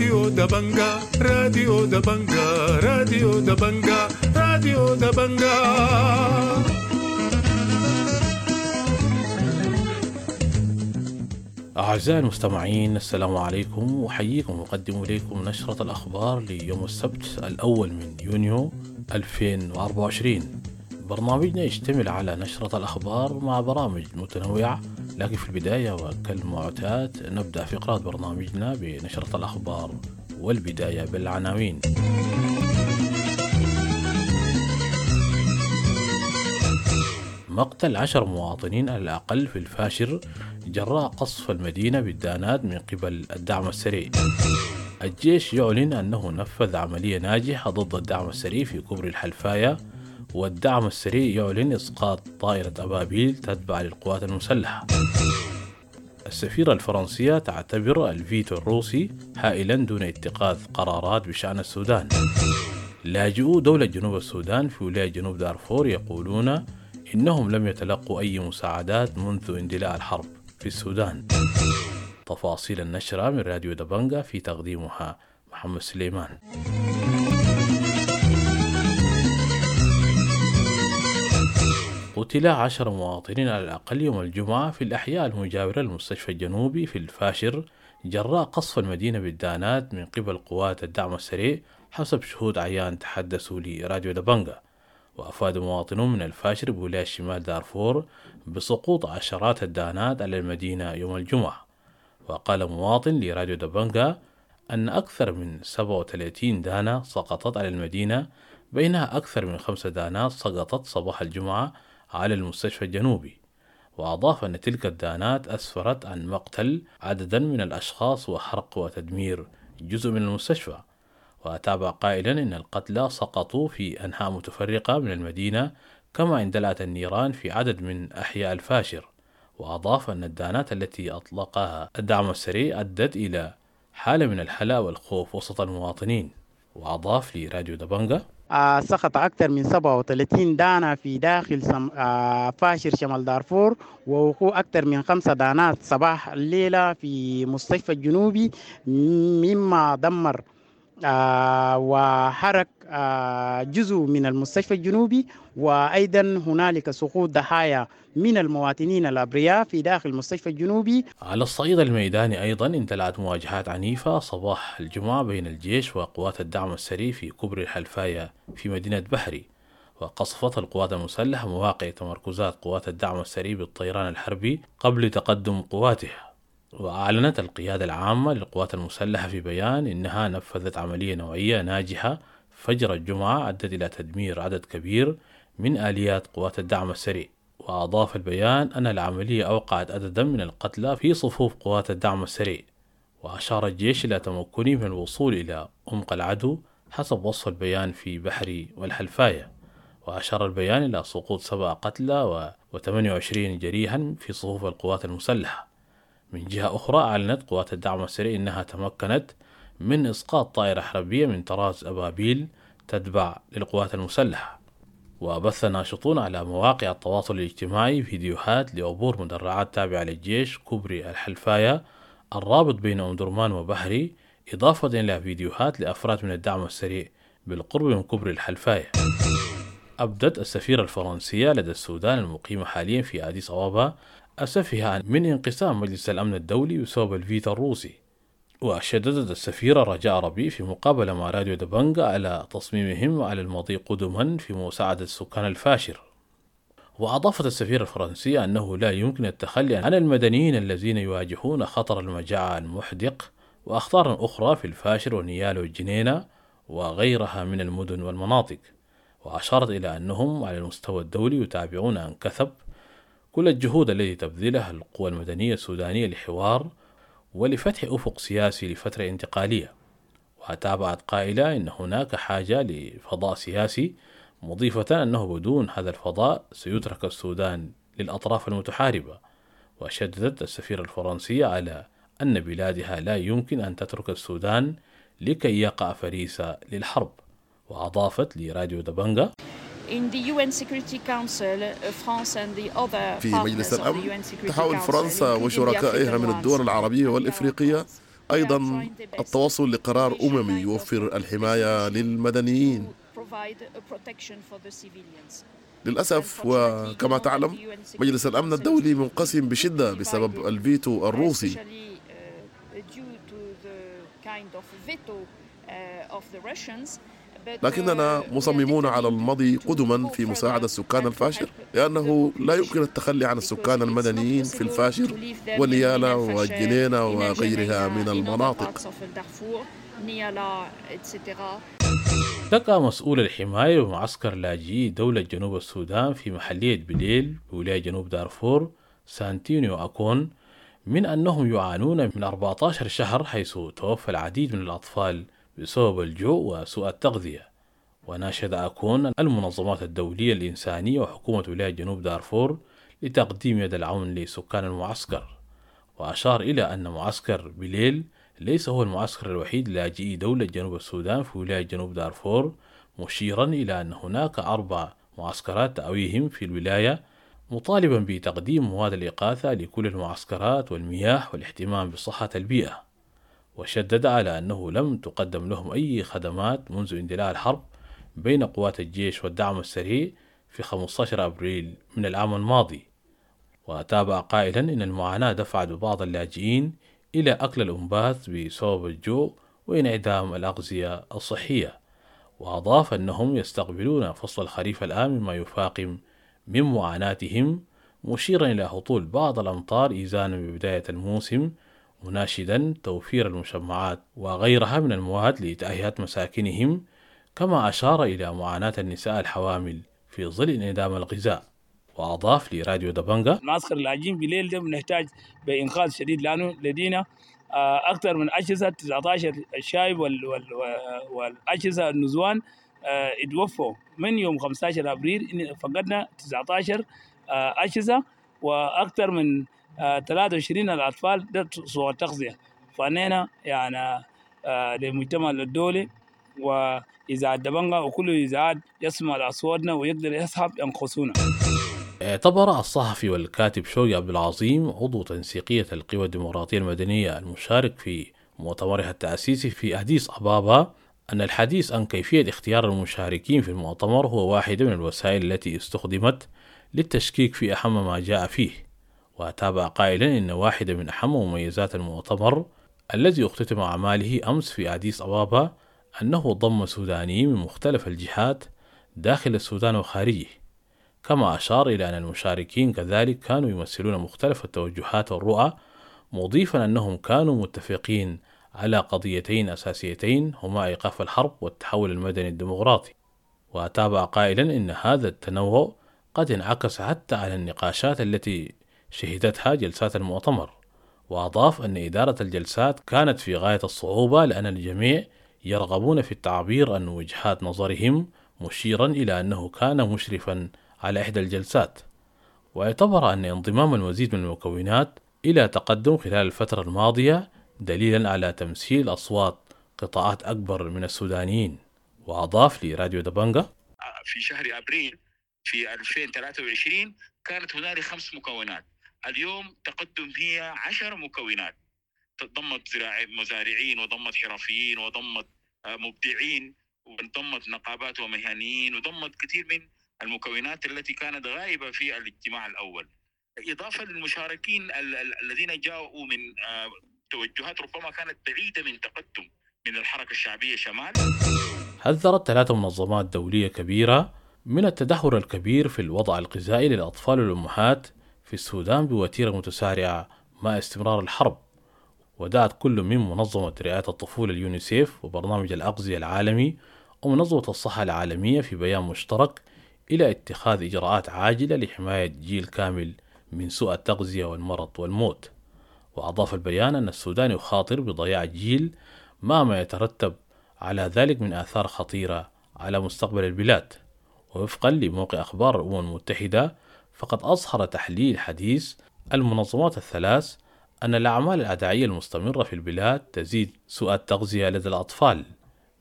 راديو دبنجا، راديو دبنجا، راديو دبنجا، راديو دبنجا. أعزائي المستمعين، السلام عليكم، أحييكم وأقدم إليكم نشرة الأخبار ليوم السبت الأول من يونيو 2024. برنامجنا يشتمل على نشرة الأخبار مع برامج متنوعة، لكن في البداية وكالمعتاد نبدأ فقرات برنامجنا بنشرة الأخبار، والبداية بالعناوين. مقتل 10 مواطنين على الأقل في الفاشر جراء قصف المدينة بالدانات من قبل الدعم السريع. الجيش يعلن أنه نفذ عملية ناجحة ضد الدعم السريع في كوبري الحلفاية، والدعم السريع يعلن إسقاط طائرة أبابيل تتبع للقوات المسلحة. السفيرة الفرنسية تعتبر الفيتو الروسي هائلا دون اتخاذ قرارات بشأن السودان. لاجئو دولة جنوب السودان في ولاية جنوب دارفور يقولون إنهم لم يتلقوا أي مساعدات منذ اندلاع الحرب في السودان. تفاصيل النشرة من راديو دبنجا في تقديمها محمد سليمان. قتل 10 مواطنين على الأقل يوم الجمعة في الأحياء المجاورة للمستشفى الجنوبي في الفاشر جراء قصف المدينة بالدانات من قبل قوات الدعم السريع، حسب شهود عيان تحدثوا لراديو دبنجا. وأفاد مواطنون من الفاشر بولاية شمال دارفور بسقوط عشرات الدانات على المدينة يوم الجمعة. وقال مواطن لراديو دبنجا أن أكثر من 37 دانة سقطت على المدينة، بينها أكثر من 5 دانات سقطت صباح الجمعة على المستشفى الجنوبي. وأضاف أن تلك الدانات أسفرت عن مقتل عددا من الأشخاص وحرق وتدمير جزء من المستشفى. وتابع قائلا إن القتلى سقطوا في أنحاء متفرقة من المدينة، كما اندلعت النيران في عدد من أحياء الفاشر. وأضاف أن الدانات التي أطلقها الدعم السريع أدت إلى حالة من الهلع والخوف وسط المواطنين. وأضاف لراديو دبنجا: سقط أكثر من 37 دانة في داخل فاشر شمال دارفور، ووقوع أكثر من 5 دانات صباح الليلة في مستشفى الجنوبي، مما دمر وحرك جزء من المستشفى الجنوبي. وأيضا هنالك سقوط ضحايا من المواطنين الأبرياء في داخل المستشفى الجنوبي. على الصعيد الميداني أيضا اندلعت مواجهات عنيفة صباح الجمعة بين الجيش وقوات الدعم السريع في كوبري الحلفاية في مدينة بحري. وقصفت القوات المسلحة مواقع تمركزات قوات الدعم السريع بالطيران الحربي قبل تقدم قواتها. وأعلنت القيادة العامة للقوات المسلحة في بيان إنها نفذت عملية نوعية ناجحة فجر الجمعة أدت إلى تدمير عدد كبير من آليات قوات الدعم السريع. وأضاف البيان أن العملية أوقعت عددا من القتلى في صفوف قوات الدعم السريع. وأشار الجيش إلى تمكنه من الوصول إلى عمق العدو حسب وصف البيان في بحري والحلفاية. وأشار البيان إلى سقوط 7 قتلى و28 جريحا في صفوف القوات المسلحة. من جهة أخرى أعلنت قوات الدعم السريع أنها تمكنت من إسقاط طائرة حربية من طراز أبابيل تتبع للقوات المسلحة. وبث ناشطون على مواقع التواصل الاجتماعي فيديوهات لعبور مدرعات تابعة للجيش كوبري الحلفاية الرابط بين أم درمان وبحري، إضافة إلى فيديوهات لأفراد من الدعم السريع بالقرب من كوبري الحلفاية. أبدت السفيرة الفرنسية لدى السودان المقيمة حاليا في أديس أبابا أسفها من انقسام مجلس الأمن الدولي بسبب الفيتو الروسي. وشددت السفيرة رجاء ربيع في مقابلة مع راديو دبنجا على تصميمهم على المضي قدما في مساعدة سكان الفاشر. وأضافت السفيرة الفرنسية أنه لا يمكن التخلي عن المدنيين الذين يواجهون خطر المجاعة المحدق وأخطار أخرى في الفاشر ونيال والجنينة وغيرها من المدن والمناطق. وأشارت إلى أنهم على المستوى الدولي يتابعون عن كثب كل الجهود التي تبذلها القوى المدنية السودانية لحوار ولفتح أفق سياسي لفترة انتقالية. وتابعت قائلة إن هناك حاجة لفضاء سياسي، مضيفة أنه بدون هذا الفضاء سيترك السودان للأطراف المتحاربة. وشددت السفيرة الفرنسية على أن بلادها لا يمكن أن تترك السودان لكي يقع فريسة للحرب. وأضافت لراديو دبنجا: في مجلس الأمن تحاول فرنسا وشركائها من الدول العربية والإفريقية أيضا التوصل لقرار أممي يوفر الحماية للمدنيين. للأسف وكما تعلم، مجلس الأمن الدولي منقسم بشدة بسبب الفيتو الروسي. لكننا مصممون على المضي قدما في مساعدة سكان الفاشر، لأنه لا يمكن التخلي عن السكان المدنيين في الفاشر ونيالا والجنينة وغيرها من المناطق. اشتكى مسؤول الحماية بمعسكر لاجئي دولة جنوب السودان في محلية بليل بولاية جنوب دارفور سانتينيو أكون من أنهم يعانون من 14 شهر، حيث توفى العديد من الأطفال بسبب الجوع وسوء التغذية. وناشد أكون المنظمات الدولية الإنسانية وحكومة ولاية جنوب دارفور لتقديم يد العون لسكان المعسكر. وأشار إلى أن معسكر بليل ليس هو المعسكر الوحيد لاجئي دولة جنوب السودان في ولاية جنوب دارفور، مشيرا إلى أن هناك 4 معسكرات تأويهم في الولاية، مطالبا بتقديم مواد الإغاثة لكل المعسكرات والمياه والاهتمام بصحة البيئة. وشدد على أنه لم تقدم لهم أي خدمات منذ اندلاع الحرب بين قوات الجيش والدعم السريع في 15 أبريل من العام الماضي. وتابع قائلا إن المعاناة دفعت ببعض اللاجئين إلى أكل الأنباث بسبب الجوع وانعدام الأغذية الصحية. وأضاف أنهم يستقبلون فصل الخريف الآن مما يفاقم من معاناتهم، مشيرا إلى هطول بعض الأمطار إيزانا ببداية الموسم، مناشدا توفير المشمعات وغيرها من المواد لتأهية مساكنهم، كما أشار إلى معاناة النساء الحوامل في ظل انعدام الغذاء. وأضاف لراديو دبنجا: معسكر اللاجئين بالليل ده بنحتاج بإنقاذ شديد، لأنه لدينا أكثر من أجهزة 19 الشايب والأجهزة النزوان اتوفوا من يوم 15 أبريل، فقدنا 19 أجهزة وأكثر من 23 الأطفال ده سوء التغذية. فأننا يعني للمجتمع الدولي وإذاعة دبنجا وكل إذاعات يسمع أصواتنا ويقدر يسحب ينقصونا. اعتبر الصحفي والكاتب شوقي عبد العظيم عضو تنسيقية القوى الديمقراطية المدنية المشارك في مؤتمرها التأسيسي في أديس أبابا أن الحديث عن كيفية اختيار المشاركين في المؤتمر هو واحدة من الوسائل التي استخدمت للتشكيك في أهم ما جاء فيه. وتابع قائلا إن واحدة من أهم مميزات المؤتمر الذي اختتم أعماله أمس في أديس أبابا أنه ضم سودانيين من مختلف الجهات داخل السودان وخارجه، كما أشار إلى أن المشاركين كذلك كانوا يمثلون مختلف التوجهات والرؤى، مضيفا أنهم كانوا متفقين على قضيتين أساسيتين هما إيقاف الحرب والتحول المدني الديمقراطي. وتابع قائلا إن هذا التنوع قد انعكس حتى على النقاشات التي شهدتها جلسات المؤتمر. وأضاف أن إدارة الجلسات كانت في غاية الصعوبة لأن الجميع يرغبون في التعبير عن وجهات نظرهم، مشيرا إلى أنه كان مشرفا على إحدى الجلسات. واعتبر أن انضمام المزيد من المكونات إلى تقدم خلال الفترة الماضية دليلا على تمثيل أصوات قطاعات أكبر من السودانيين. وأضاف لراديو دبنجا: في شهر أبريل في 2023 كانت هنالك 5 مكونات، اليوم تقدم هي 10 مكونات، ضمت مزارعين وضمت حرفيين وضمت مبدعين وضمت نقابات ومهنيين وضمت كثير من المكونات التي كانت غائبة في الاجتماع الأول، إضافة للمشاركين الذين جاءوا من توجهات ربما كانت بعيدة من تقدم من الحركة الشعبية شمال. حذرت 3 منظمات دولية كبيرة من التدهور الكبير في الوضع الغذائي للأطفال والأمهات في السودان بوتيرة متسارعة مع استمرار الحرب. ودعت كل من منظمة رعاية الطفولة اليونيسيف وبرنامج الأغذية العالمي ومنظمة الصحة العالمية في بيان مشترك إلى اتخاذ إجراءات عاجلة لحماية جيل كامل من سوء التغذية والمرض والموت. وأضاف البيان أن السودان يخاطر بضياع جيل مع ما يترتب على ذلك من آثار خطيرة على مستقبل البلاد. ووفقا لموقع أخبار الأمم المتحدة، فقد أظهر تحليل حديث المنظمات الثلاث أن الأعمال العدائية المستمرة في البلاد تزيد سوء التغذية لدى الأطفال،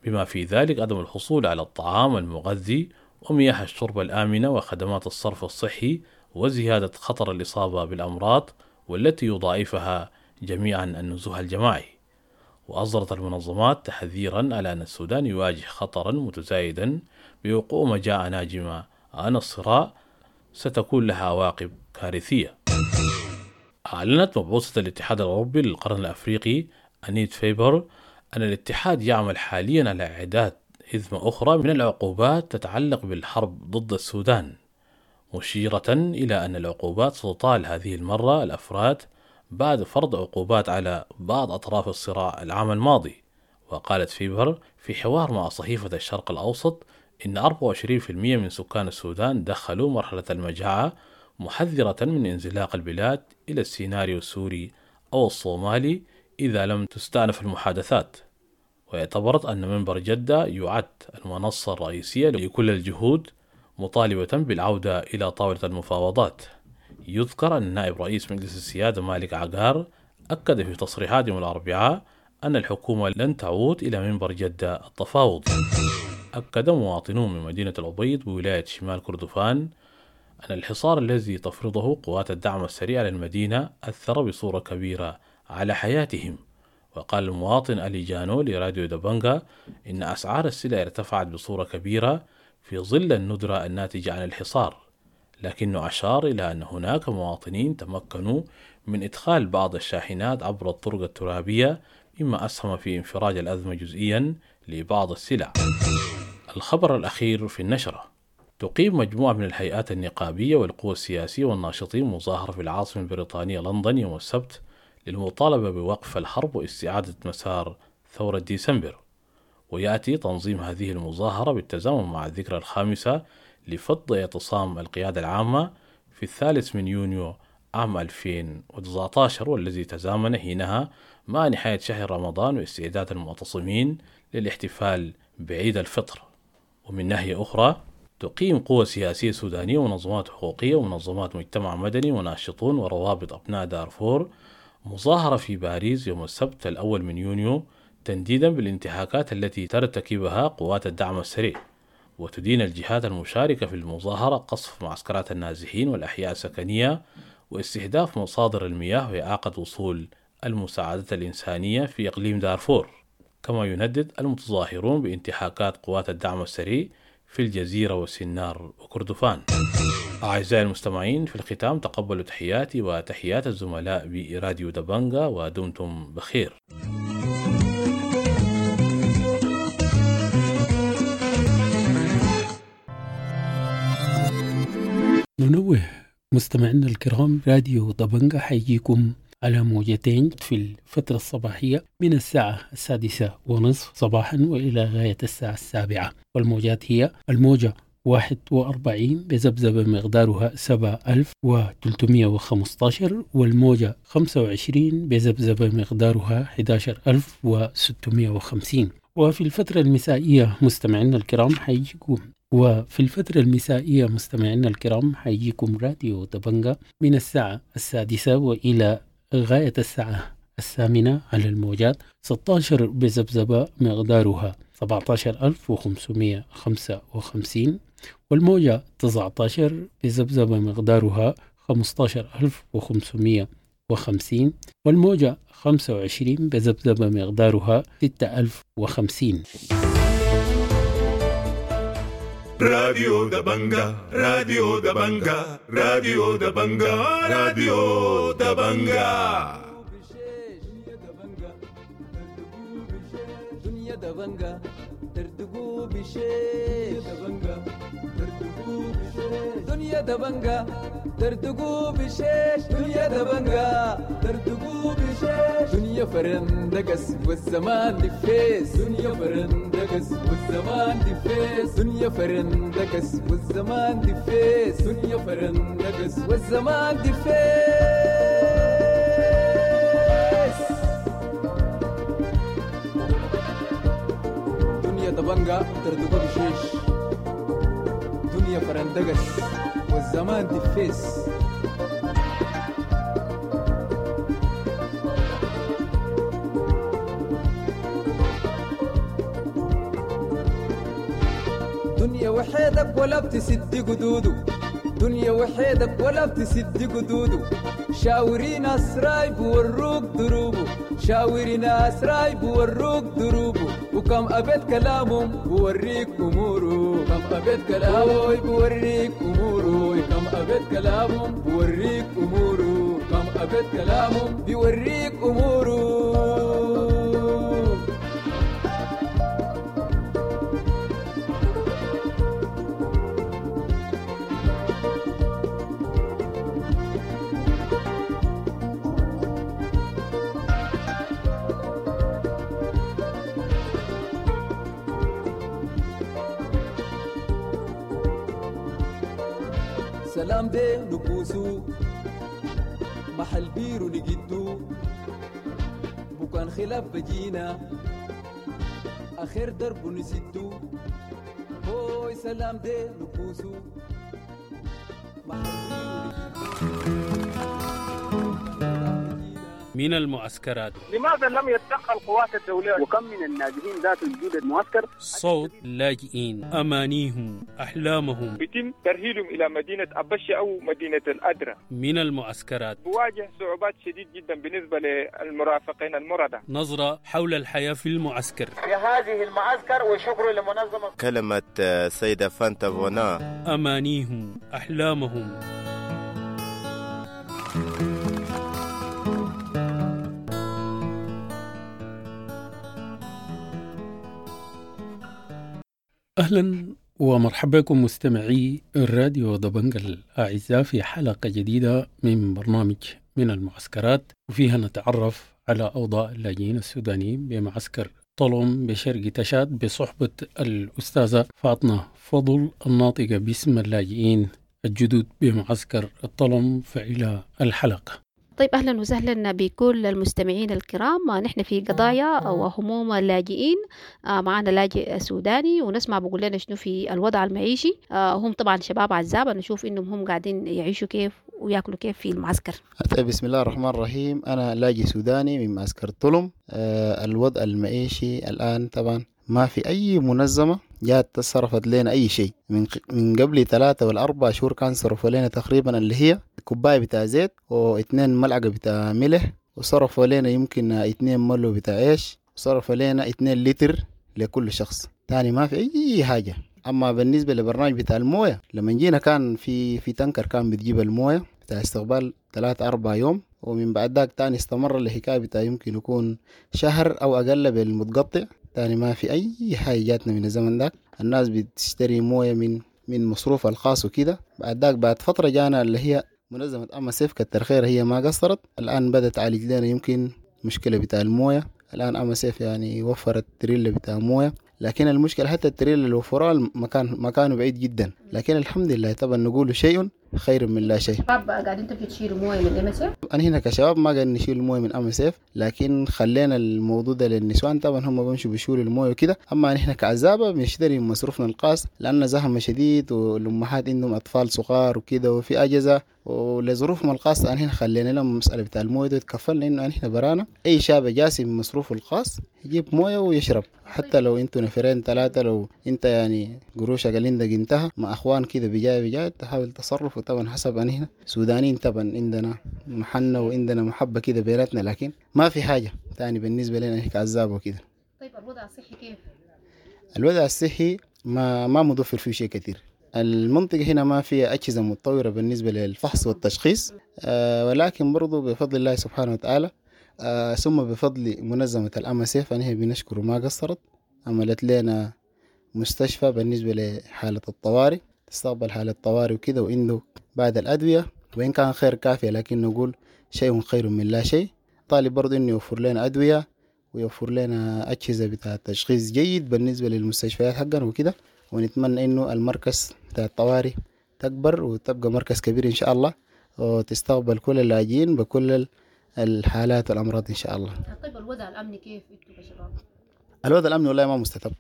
بما في ذلك عدم الحصول على الطعام المغذي ومياه الشرب الآمنة وخدمات الصرف الصحي وزيادة خطر الإصابة بالأمراض والتي يضاعفها جميعا النزوح الجماعي. وأصدرت المنظمات تحذيرا على أن السودان يواجه خطرا متزايدا بوقوع مجاعة ناجمة عن الصراع ستكون لها عواقب كارثية. أعلنت مبعوثة الاتحاد الأوروبي للقرن الأفريقي أنيت فيبر أن الاتحاد يعمل حاليا على إعداد حزمة أخرى من العقوبات تتعلق بالحرب ضد السودان، مشيرة إلى أن العقوبات ستطال هذه المرة الأفراد بعد فرض عقوبات على بعض أطراف الصراع العام الماضي. وقالت فيبر في حوار مع صحيفة الشرق الأوسط إن 24% من سكان السودان دخلوا مرحلة المجاعة، محذرة من انزلاق البلاد إلى السيناريو السوري أو الصومالي إذا لم تستأنف المحادثات. واعتبرت أن منبر جدة يعد المنصة الرئيسية لكل الجهود، مطالبة بالعودة إلى طاولة المفاوضات. يذكر أن نائب رئيس مجلس السيادة مالك عقار أكد في تصريحات يوم الأربعاء أن الحكومة لن تعود إلى منبر جدة التفاوض. أكد مواطنون من مدينة الأبيض بولاية شمال كردفان أن الحصار الذي تفرضه قوات الدعم السريع على المدينة أثر بصورة كبيرة على حياتهم. وقال المواطن ألي جانو لراديو دبنجا إن أسعار السلع ارتفعت بصورة كبيرة في ظل الندرة الناتجة عن الحصار، لكنه أشار إلى أن هناك مواطنين تمكنوا من إدخال بعض الشاحنات عبر الطرق الترابية، مما أسهم في انفراج الأزمة جزئيا لبعض السلع. الخبر الأخير في النشرة: تقيم مجموعة من الهيئات النقابية والقوى السياسية والناشطين مظاهرة في العاصمة البريطانية لندن يوم السبت للمطالبة بوقف الحرب واستعادة مسار ثورة ديسمبر. ويأتي تنظيم هذه المظاهرة بالتزامن مع الذكرى الخامسة لفض اعتصام القيادة العامة في 3 يونيو عام 2019، والذي تزامن حينها مع نهاية شهر رمضان واستعداد المعتصمين للاحتفال بعيد الفطر. ومن ناحية أخرى، تقيم قوى سياسية سودانية ومنظمات حقوقية ومنظمات مجتمع مدني وناشطون وروابط أبناء دارفور مظاهرة في باريس يوم السبت 1 يونيو تنديدا بالانتهاكات التي ترتكبها قوات الدعم السريع. وتدين الجهات المشاركة في المظاهرة قصف معسكرات النازحين والأحياء السكنية واستهداف مصادر المياه وإعاقة وصول المساعدات الإنسانية في إقليم دارفور. كما يندد المتظاهرون بانتهاكات قوات الدعم السريع في الجزيرة والسنار وكردفان. أعزائي المستمعين، في الختام تقبلوا تحياتي وتحيات الزملاء براديو دبنجا، ودمتم بخير. ننوه مستمعينا الكرام، راديو دبنجا حيجيكم على موجتين في الفترة الصباحية من الساعة 6:30 صباحا وإلى غاية الساعة 7، والموجات هي الموجة 41 بذبذبة مقدارها 7315، والموجة 25 بذبذبة مقدارها 11650. وفي الفترة المسائية مستمعينا الكرام حيجيكم راديو دبنجا من الساعة 6 وإلى غاية الساعة 8 على الموجات 16 بذبذبة مقدارها 17555، والموجة 19 بذبذبة مقدارها 15550، والموجة 25 بذبذبة مقدارها 6050. راديو دبنجا، راديو دبنجا، راديو دبنجا، راديو دبنجا. دنيا دبنجا دردقو بشيش، دنيا دبنجا دردقو بشيش، دنيا دبنجا دردقو بشيش، دنيا فرندقس والزمان دفيس، دنيا فرندقس والزمان دفيس، دنيا فرندقس والزمان دفيس، دنيا فرندقس والزمان دفيس. دنيا دبنجا دردقو بشيش، دنيا فرندقس والزمان دفيس. دنيا وحيدك ولا بتسد قدوده، دنيا وحيدك ولا بتسد قدوده، شاوري ناس رايب وروك دروبه، شاوري ناس رايب وروك دروبه، وكم أبيت كلامهم بوريك أموره، كم أبيت كلامه بوريك أموره، كم أبيت كلامهم بوريك أموره، كم أبيت كلامهم بيوريك أموره. سلام دي نبوسو محل بيرو نجدو، بكان خلاف بجينا آخر درب نسدو، هوي سلام دي نبوسو محل بيرو نجدو. من المعسكرات، لماذا لم يتدخل قوات الدولية؟ وكم من النازحين ذات وجود المعسكر؟ صوت اللاجئين، أمانيهم، أحلامهم، يتم ترهيلهم إلى مدينة أبشة أو مدينة الأدرة. من المعسكرات بواجه صعوبات شديد جدا بالنسبة للمرافقين المرضى. نظرة حول الحياة في المعسكر، في هذه المعسكر، وشكر لمنظمة. كلمة سيدة فانتا فونا، أمانيهم، أحلامهم. أهلا ومرحبا بكم مستمعي الراديو دبنجا الأعزاء في حلقة جديدة من برنامج من المعسكرات، وفيها نتعرف على أوضاع اللاجئين السودانيين بمعسكر طلم بشرق تشاد بصحبة الأستاذة فاطمة فضل الناطقة باسم اللاجئين الجدد بمعسكر الطلم. فإلى الحلقة. طيب، أهلا وسهلا بكل المستمعين الكرام. نحن في قضايا وهموم اللاجئين، معنا لاجئ سوداني ونسمع بقول لنا شنو في الوضع المعيشي. هم طبعا شباب عزابة، نشوف إنهم هم قاعدين يعيشوا كيف وياكلوا كيف في المعسكر. طيب، بسم الله الرحمن الرحيم. أنا لاجئ سوداني من معسكر طلم. الوضع المعيشي الآن طبعا ما في أي منظمة جات تصرفت لنا أي شيء. من قبل 3 ولا 4 شهور كان صرفوا لنا تقريبا اللي هي كوباية بتاع زيت و2 ملعقة بتاع ملح، وصرفوا لنا يمكن 2 ملو بتاع عيش، وصرفوا لنا 2 لتر لكل شخص. تاني ما في أي حاجة. أما بالنسبة لبرنامج بتاع الموية، لما جينا كان في تنكر كان بتجيب الموية بتاع استقبال 3-4 يوم، ومن بعد ذاك تاني استمر الحكاية بتاع يمكن يكون شهر أو أقل بالمتقطع. تاني ما في أي حاجة جاتنا من الزمن ذاك. الناس بتشتري موية من مصروفها الخاص وكده. بعد ذاك بعد فترة جانا اللي هي منظمة MSF، كتر خير هي ما قصرت، الآن بدأت تعالج لنا يمكن مشكلة بتاع الموية. الآن MSF يعني وفرت تريلا بتاع موية، لكن المشكلة حتى التريلا اللي وفروها مكانه بعيد جدا. لكن الحمد لله طبعا نقول شيء خير من لا شيء. شباب قاعدين تمشوا تشيلوا مويه من MSF؟ انا هنا كشباب ما قاعدين نشيل مويه من MSF، لكن خلينا الموضوع ده للنسوان، طبعا هم بيمشوا بيشيلوا المويه وكده. اما نحن كعزابه بنشتري من مصروفنا الخاص، لان زحمه شديد والامهات عندهم اطفال صغار وكده وفي اجازه ولظروفهم الخاصه. انا هنا خلينا لهم المساله بتاع المويه ده تكفلنا، انه نحن برانا اي شاب جاسم من مصروفه الخاص يجيب مويه ويشرب، حتى لو انتوا نفرين 3، لو انت يعني قروشك اللي عندك انتهى مع اخوان كده بجاي تحاول تصرف. طبعا حسب أن هنا سودانيين طبعا عندنا محنة وعندنا محبة كده بيناتنا، لكن ما في حاجة تاني بالنسبة لنا هيك عذاب وكده. طيب الوضع الصحي كيف؟ الوضع الصحي ما متوفر فيه شيء كثير. المنطقة هنا ما فيها أجهزة متطورة بالنسبة للفحص والتشخيص، ولكن برضو بفضل الله سبحانه وتعالى، ثم بفضل منظمة الأمسيف أنها بنشكر ما قصرت، عملت لنا مستشفى بالنسبة لحالة الطوارئ، تستقبل حالة الطوارئ وكده، وعنده بعد الأدوية وإن كان خير كافية، لكن نقول شيء خير من لا شيء. طالب برضو إنه يوفر لنا أدوية ويوفر لنا أجهزة بتاع تشخيص جيد بالنسبة للمستشفيات حقنا وكده، ونتمنى إنه المركز بتاع الطوارئ تكبر وتبقى مركز كبير إن شاء الله، وتستقبل كل اللاجئين بكل الحالات والأمراض إن شاء الله. طيب الوضع الأمني كيف أنتوا كشباب؟ الوضع الأمني والله ما مستتب،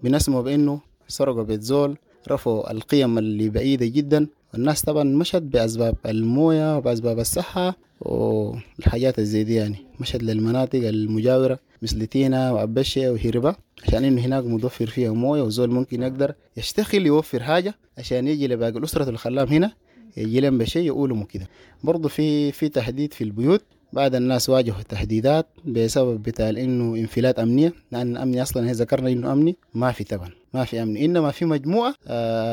بنسمع بإنه سرقوا بيت زول، رفعوا القيم اللي بعيدة جدا، والناس طبعا مشت بأسباب الموية وبأسباب الصحة والحاجات الزي دي، يعني مشت للمناطق المجاورة مثل تينا وأبشة وهربة، عشان إنه هناك متوفر فيها موية وزول ممكن يقدر يشتغل يوفر حاجة عشان يجي لباقي الأسرة الخلام هنا يجي لهم بشيء يقولوا كده. برضو في تهديد في البيوت، بعد الناس واجهوا تهديدات بسبب بتاع انه انفلات امنيه، لان الامن اصلا هي ذكرنا انه امني ما في، طبعا ما في امني، انما في مجموعه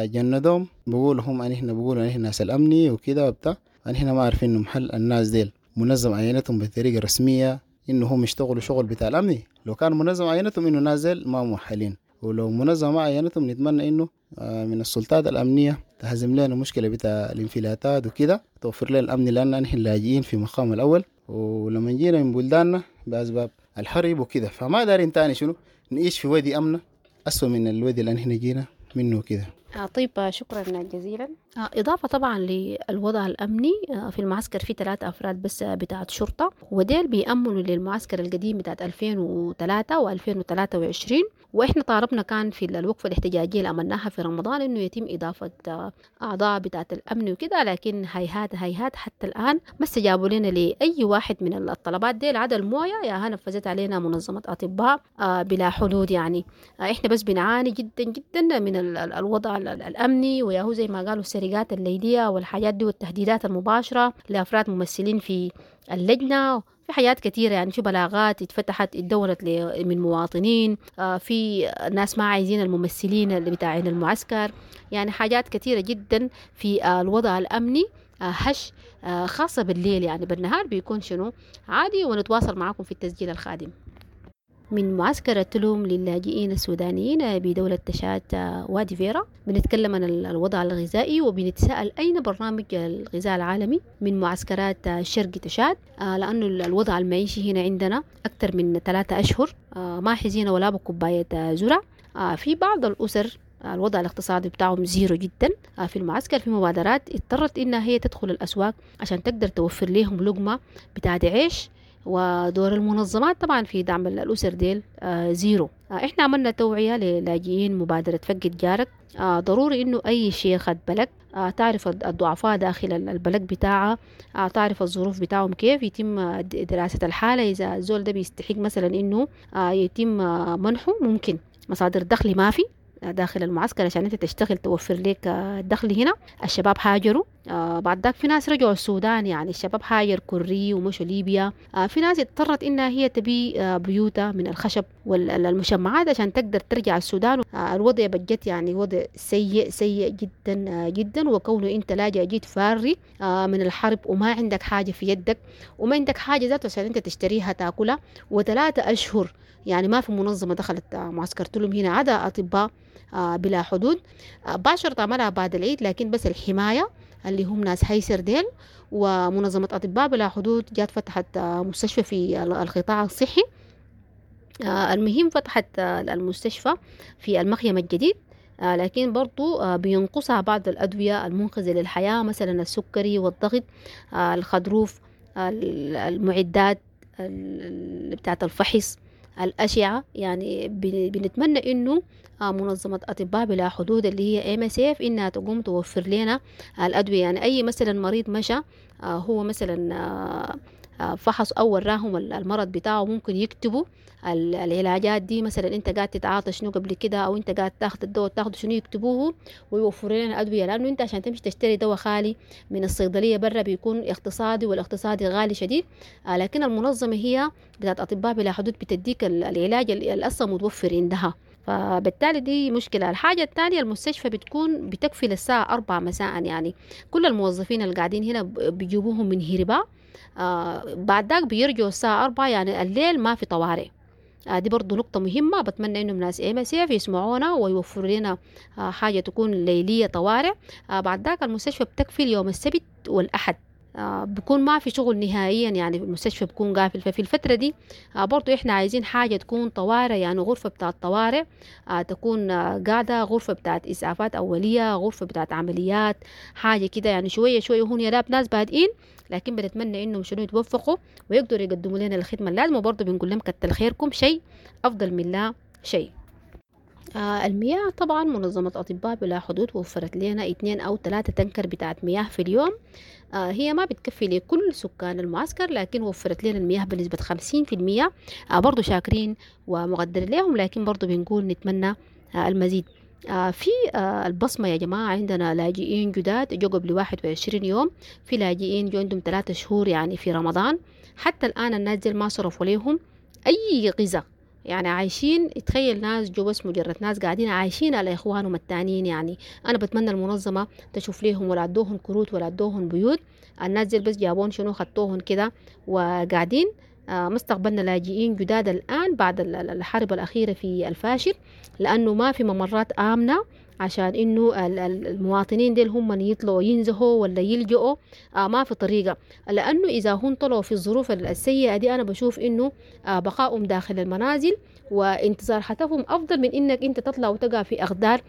جندهم بيقولوا هم ان احنا بيقولوا ان احنا ناس الامني وكده وبتاع، ان احنا ما عارفين انه محل الناس ديل منظم عينتهم بطريقه رسميه انه هم يشتغلوا شغل بتاع الامني. لو كان منظم عينتهم انه الناس ديل ما مؤهلين، ولو منظمه ما عينتهم نتمنى انه من السلطات الامنيه تهزم لنا مشكله بتاع الانفلاتات وكده، توفر لنا الامن، لان نحن لاجئين في مقام الاول، ولما جينا من بلداننا باسباب الحرب وكده، فما دارين تاني شنو نعيش في وادي امنه اسوء من الوادي اللي نحن جينا منه كده. طيب، شكرا جزيلا. إضافة طبعا للوضع الأمني في المعسكر، في 3 أفراد بس بتاعت شرطة، وديل بيأمنوا للمعسكر القديم بتاعت 2003 و2023. وإحنا طالبنا كان في الوقفة الاحتجاجية اللي عملناها في رمضان إنه يتم إضافة أعضاء بتاعت الأمن وكده، لكن هيهات هيهات حتى الآن ما استجابوا لنا لأي واحد من الطلبات ديل، عدا الموية يا نفذت علينا منظمة أطباء بلا حدود. يعني إحنا بس بنعاني جدا جدا من الوضع الأمني، وياهو زي ما قالوا السرقات الليلية والحاجات دي والتهديدات المباشرة لأفراد ممثلين في اللجنة، في حاجات كثيرة. يعني في بلاغات اتفتحت اتدورت من مواطنين، في ناس ما عايزين الممثلين اللي بتاعين المعسكر، يعني حاجات كثيرة جدا في الوضع الأمني هش، خاصة بالليل. يعني بالنهار بيكون شنو عادي. ونتواصل معكم في التسجيل القادم. من معسكر تلوم للاجئين السودانيين بدولة تشاد وادي فيرا، بنتكلم عن الوضع الغذائي وبنتساءل أين برنامج الغذاء العالمي من معسكرات شرق تشاد، لأنه الوضع المعيشي هنا عندنا أكثر من 3 أشهر ما حزينة ولا بكوباية ذرة. في بعض الأسر الوضع الاقتصادي بتاعهم zero جدا في المعسكر. في مبادرات اضطرت إنها هي تدخل الأسواق عشان تقدر توفر لهم لقمة بتاعت عيش، ودور المنظمات طبعا في دعم الأسر ديل zero. احنا عملنا توعية للاجئين مبادرة فقد جارك. ضروري انه اي شيخة بلد تعرف الضعفاء داخل البلد بتاعها، تعرف الظروف بتاعهم كيف، يتم دراسة الحالة. اذا الزول ده بيستحق مثلا انه يتم منحه، ممكن مصادر دخل ما في داخل المعسكر عشان انت تشتغل توفر لك الدخل. هنا الشباب هاجروا، بعد ذاك في ناس رجعوا السودان، يعني الشباب هاجر كوري ومشوا ليبيا. في ناس اضطرت انها هي تبي بيوتها من الخشب والمشمعات عشان تقدر ترجع السودان. الوضع بجت يعني وضع سيء سيء جدا جدا، وكونه انت لاجئ جيت فاري من الحرب وما عندك حاجة في يدك وما عندك حاجة ذاته عشان انت تشتريها تاكلها، و3 أشهر يعني ما في منظمة دخلت معسكر تلوم هنا عدا أطباء بلا حدود. باشرت عملها بعد العيد، لكن بس الحماية اللي هم ناس هيسر ديل ومنظمة أطباء بلا حدود جات فتحت مستشفى في القطاع الصحي. المهم فتحت المستشفى في المخيم الجديد، لكن برضو بينقصها بعض الأدوية المنقذة للحياة، مثلا السكري والضغط، الخضروف، المعدات بتاعت الفحص، الأشعة. يعني بنتمنى إنه منظمة أطباء بلا حدود اللي هي MSF إنها تقوم توفر لنا الأدوية. يعني أي مثلا مريض مشى هو مثلا فحص أو وراهم المرض بتاعه، ممكن يكتبوا العلاجات دي، مثلا أنت قاعد تتعاطى شنو قبل كده، أو أنت قاعد تاخد الدواء تاخده شنو، يكتبوه ويوفروا لنا أدوية. لأنه أنت عشان تمشي تشتري دواء خالي من الصيدلية برا بيكون اقتصادي، والاقتصادي غالي شديد. لكن المنظمة هي بتاعت أطباء بلا حدود بتديك العلاج اللي أصلا متوفر عندها، فبالتالي دي مشكلة. الحاجة الثانية المستشفى بتكون بتكفي للساعة 4 مساء، يعني كل الموظفين اللي قاعدين هنا بيجيبوهم من هربا، بعد ذاك بيرجعوا الساعة 4، يعني الليل ما في طوارئ. دي برضو نقطة مهمة، بتمنى إنه ناس MSF يسمعونا ويوفروا لنا حاجة تكون ليلية طوارئ. بعد ذاك المستشفى بتكفي يوم السبت والأحد، بكون ما في شغل نهائيا، يعني المستشفى بكون قافل. ففي الفترة دي برضو احنا عايزين حاجة تكون طوارئ، يعني غرفة بتاعت طوارئ تكون قاعدة، غرفة بتاعت إسعافات أولية، غرفة بتاعت عمليات، حاجة كده يعني شوية شوية. هون يا راب ناس بادئين، لكن بنتمنى انهم شنو يتوفقوا ويقدروا يقدموا لنا الخدمة اللازمة. وبرضو بنقول لهم كتر خيركم، شيء أفضل من لا شيء. المياه طبعا منظمة أطباء بلا حدود وفرت لنا 2 أو 3 تنكر بتاعت مياه في اليوم. هي ما بتكفي لكل سكان المعسكر، لكن وفرت لنا المياه بنسبة 50%. برضو شاكرين ومقدرين لهم، لكن برضو بنقول نتمنى المزيد. في البصمة يا جماعة عندنا لاجئين جداد جو قبل 21 يوم، في لاجئين جو عندهم 3 شهور يعني في رمضان، حتى الآن الناس دي ما صرفوا ليهم أي غذاء، يعني عايشين. تخيل ناس جو بس مجرد ناس قاعدين عايشين على إخوانهم التانيين. يعني أنا بتمنى المنظمة تشوف ليهم ولا أدوهم كروت ولا أدوهم بيوت. الناس دي بس جابون شنو خطوهن كده وقاعدين. مستقبلنا لاجئين جداد الآن بعد الحرب الأخيرة في الفاشر، لأنه ما في ممرات آمنة عشان إنه المواطنين ديل هم يطلعوا ينزهوا ولا يلجؤوا، ما في طريقة. لأنه إذا هم طلعوا في الظروف السيئة دي أنا بشوف إنه بقائهم داخل المنازل وانتظار حتفهم أفضل من إنك أنت تطلع وتقع في أخدار.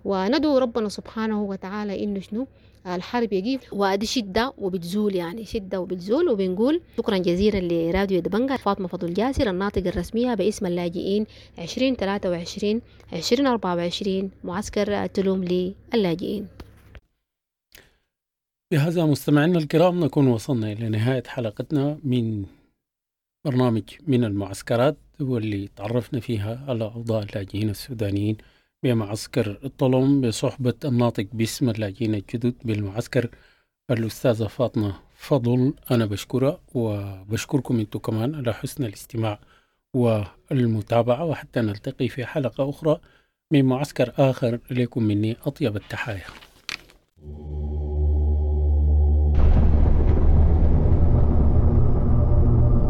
وندعو ربنا سبحانه وتعالى إنه شنو الحرب يجي، وادي شدة وبتزول، يعني شدة وبتزول. وبنقول شكرا جزيلا لراديو دبنجة، فاطمة فضل جاسر الناطقة الرسمية باسم اللاجئين 2023 2024 معسكر تلوم للاجئين. بهذا مستمعينا الكرام نكون وصلنا إلى نهاية حلقتنا من برنامج من المعسكرات، واللي تعرفنا فيها على أوضاع اللاجئين السودانيين بمعسكر الطلم بصحبة الناطق باسم اللاجئين الجدد بالمعسكر الأستاذة فاطمة فضل. أنا بشكرها وبشكركم أنتم كمان على حسن الاستماع والمتابعة، وحتى نلتقي في حلقة أخرى من معسكر آخر. لكم مني أطيب التحايا.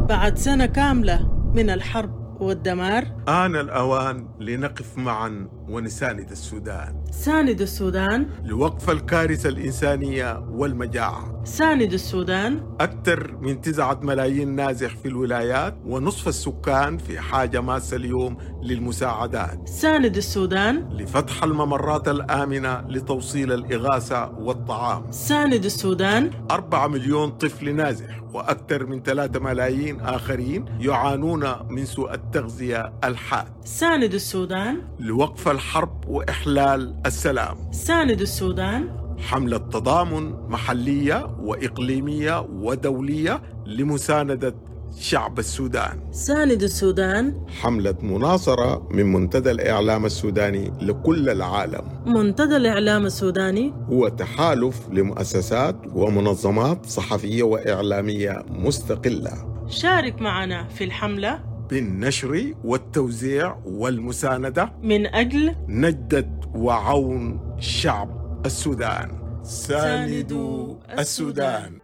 بعد سنة كاملة من الحرب والدمار، آن الأوان لنقف معا ونساند السودان. ساند السودان لوقف الكارثة الإنسانية والمجاعة. ساند السودان. أكثر من 9 ملايين نازح في الولايات، ونصف السكان في حاجة ماسة اليوم للمساعدات. ساند السودان لفتح الممرات الآمنة لتوصيل الإغاثة والطعام. ساند السودان. 4 مليون طفل نازح وأكثر من 3 ملايين آخرين يعانون من سوء التغذية الحاد. ساند السودان لوقف الحرب وإحلال السلام. ساند السودان. حملة تضامن محلية وإقليمية ودولية لمساندة شعب السودان. ساند السودان. حملة مناصرة من منتدى الإعلام السوداني لكل العالم. منتدى الإعلام السوداني هو تحالف لمؤسسات ومنظمات صحفية وإعلامية مستقلة. شارك معنا في الحملة بالنشر والتوزيع والمساندة من أجل نجدة وعون شعب السودان. ساندوا السودان.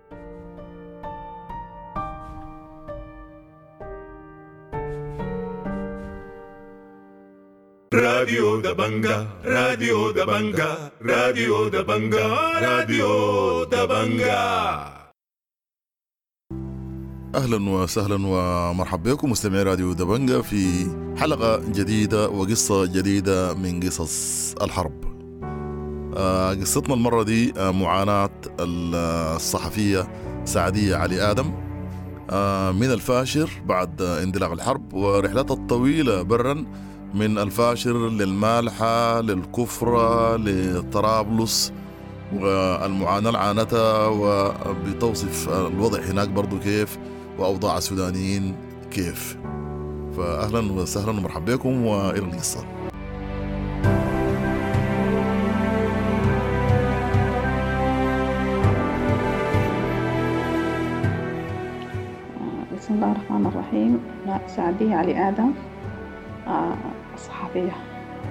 راديو دبنجة، راديو دبنجة، راديو دبنجة، راديو دبنجة. أهلا وسهلا ومرحبا بكم مستمعي راديو دبنجة في حلقة جديدة وقصة جديدة من قصص الحرب. قصتنا المرة دي معاناة الصحفية سعدية علي آدم من الفاشر بعد اندلاع الحرب ورحلتها الطويلة برا من الفاشر للمالحة للكفرة لطرابلس، والمعاناة اللي عانتها، وبتوصف الوضع هناك برضو كيف وأوضاع السودانيين كيف. فأهلا وسهلا ومرحبا بكم وإلى القصة. بسم الله الرحمن الرحيم. سعدية علي آدم، صحفية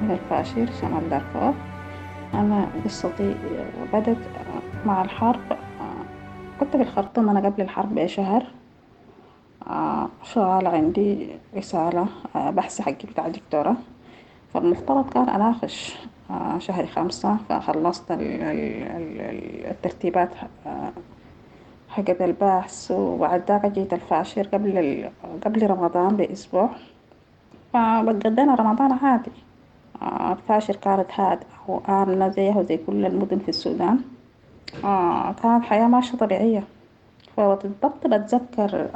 من الفاشر شمال دارفور. أنا قصتي بدت مع الحرب. كنت في الخرطوم أنا قبل الحرب بشهر، شغالة عندي رسالة بحث حقي بتاع الدكتورة، فالمفترض كان أناقش شهر 5، فخلصت الترتيبات حقت البحث، وبعد ذاك جيت الفاشر قبل رمضان بأسبوع. فقضينا رمضان عادي. الفاشر كانت هادئة وآمنة زيها وزي كل المدن في السودان. كانت حياة ماشية طبيعية. فبالضبط بتذكر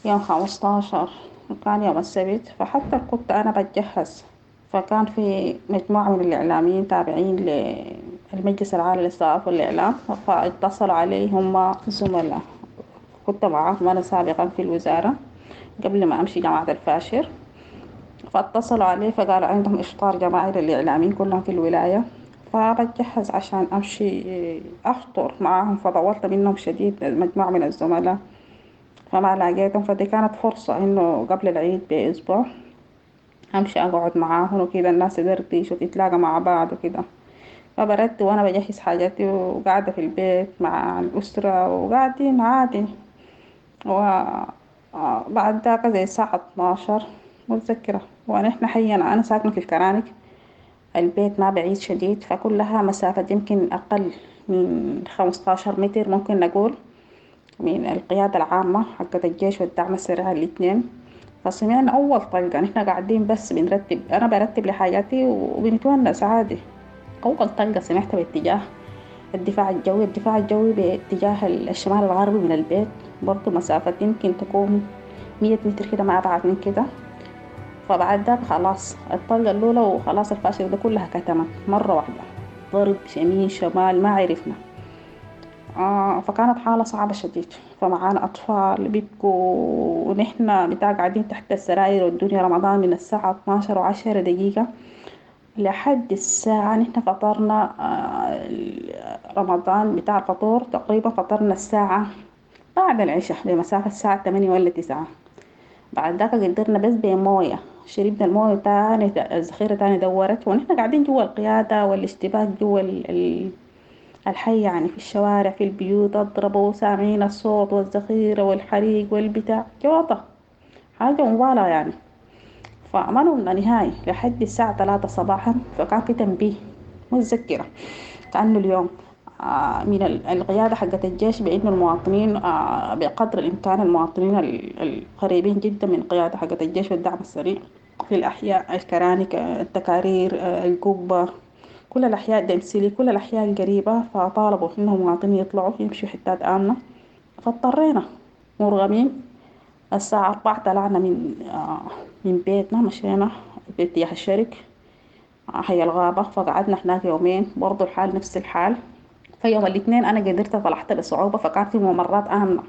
يوم 15 كان يوم السبت، فحتى كنت أنا بتجهز، فكان في مجموعة من الإعلاميين تابعين للمجلس العالي للصحافة والإعلام، فاتصلوا علي هم زملاء كنت معاهم أنا سابقا في الوزارة قبل ما أمشي جامعة الفاشر. فاتصلوا عليه فقالوا عندهم إفطار جماعي للإعلاميين كلهم في الولاية. فبتجهز عشان أمشي أفطر معاهم، فطولت منهم شديد مجموعة من الزملاء فما لاقيتهم. فدي كانت فرصة إنه قبل العيد بأسبوع أمشي أقعد معاهم وكده، الناس تدردش وتتلاقى مع بعض وكده. فبردت وأنا بجهز حاجاتي وقاعدة في البيت مع الأسرة وقاعدين عادي. وبعد ذاك زي الساعة 12 متذكرة، ونحن حينا أنا ساكنة في الكرانك، البيت ما بعيد شديد، فكلها مسافة يمكن أقل من 15 متر ممكن نقول من القيادة العامة حقت الجيش والدعم السريع الاثنين. فسمعنا أول طلقة، نحن قاعدين بس بنرتب، أنا برتب لحاجاتي وبنتونس عادي. أول طلقة سمعتها باتجاه الدفاع الجوي، الدفاع الجوي باتجاه الشمال الغربي من البيت، برضو مسافة يمكن تكون 100 متر كده ما أبعد من كده. فبعد ذاك خلاص الطلقة الأولى وخلاص الفاشل ده كلها كتمت مرة واحدة، ضرب يمين شمال ما عرفنا. فكانت حالة صعبة شديد، فمعانا أطفال بيبكوا ونحن بتاع قاعدين تحت السراير، والدنيا رمضان من الساعة 12:10 لحد الساعة نحن فطرنا رمضان بتاع الفطور تقريبا، فطرنا الساعة بعد العشاء بمسافة الساعة 8 ولا 9. بعد ذاك قدرنا بس بموية، شربنا الموية تاني، الذخيرة تاني دورت، ونحن قاعدين جوا القيادة والاشتباك جوا الحي يعني، في الشوارع في البيوت اضربوا سامعين الصوت والذخيرة والحريق والبتاع، جوطة حاجة مبالغة يعني. فما نمنا نهائي لحد الساعة 3 صباحا. فكان في تنبيه متذكرة كأنه اليوم من القيادة حقت الجيش بأنه المواطنين بقدر الإمكان المواطنين القريبين جدا من القيادة حقت الجيش والدعم السريع في الأحياء الكرانك التكارير القبة كل الأحياء دمسلي كل الأحياء القريبة، فطالبوا إنهم المواطنين يطلعوا يمشوا حتات آمنة. فاضطرينا مرغمين الساعة 4 طلعنا من بيتنا، مشينا باتجاه الشرق حي الغابة، فقعدنا هناك يومين برضو الحال نفس الحال. فيوم الاثنين أنا قدرت طلعت بصعوبة، فكان في ممرات آمنة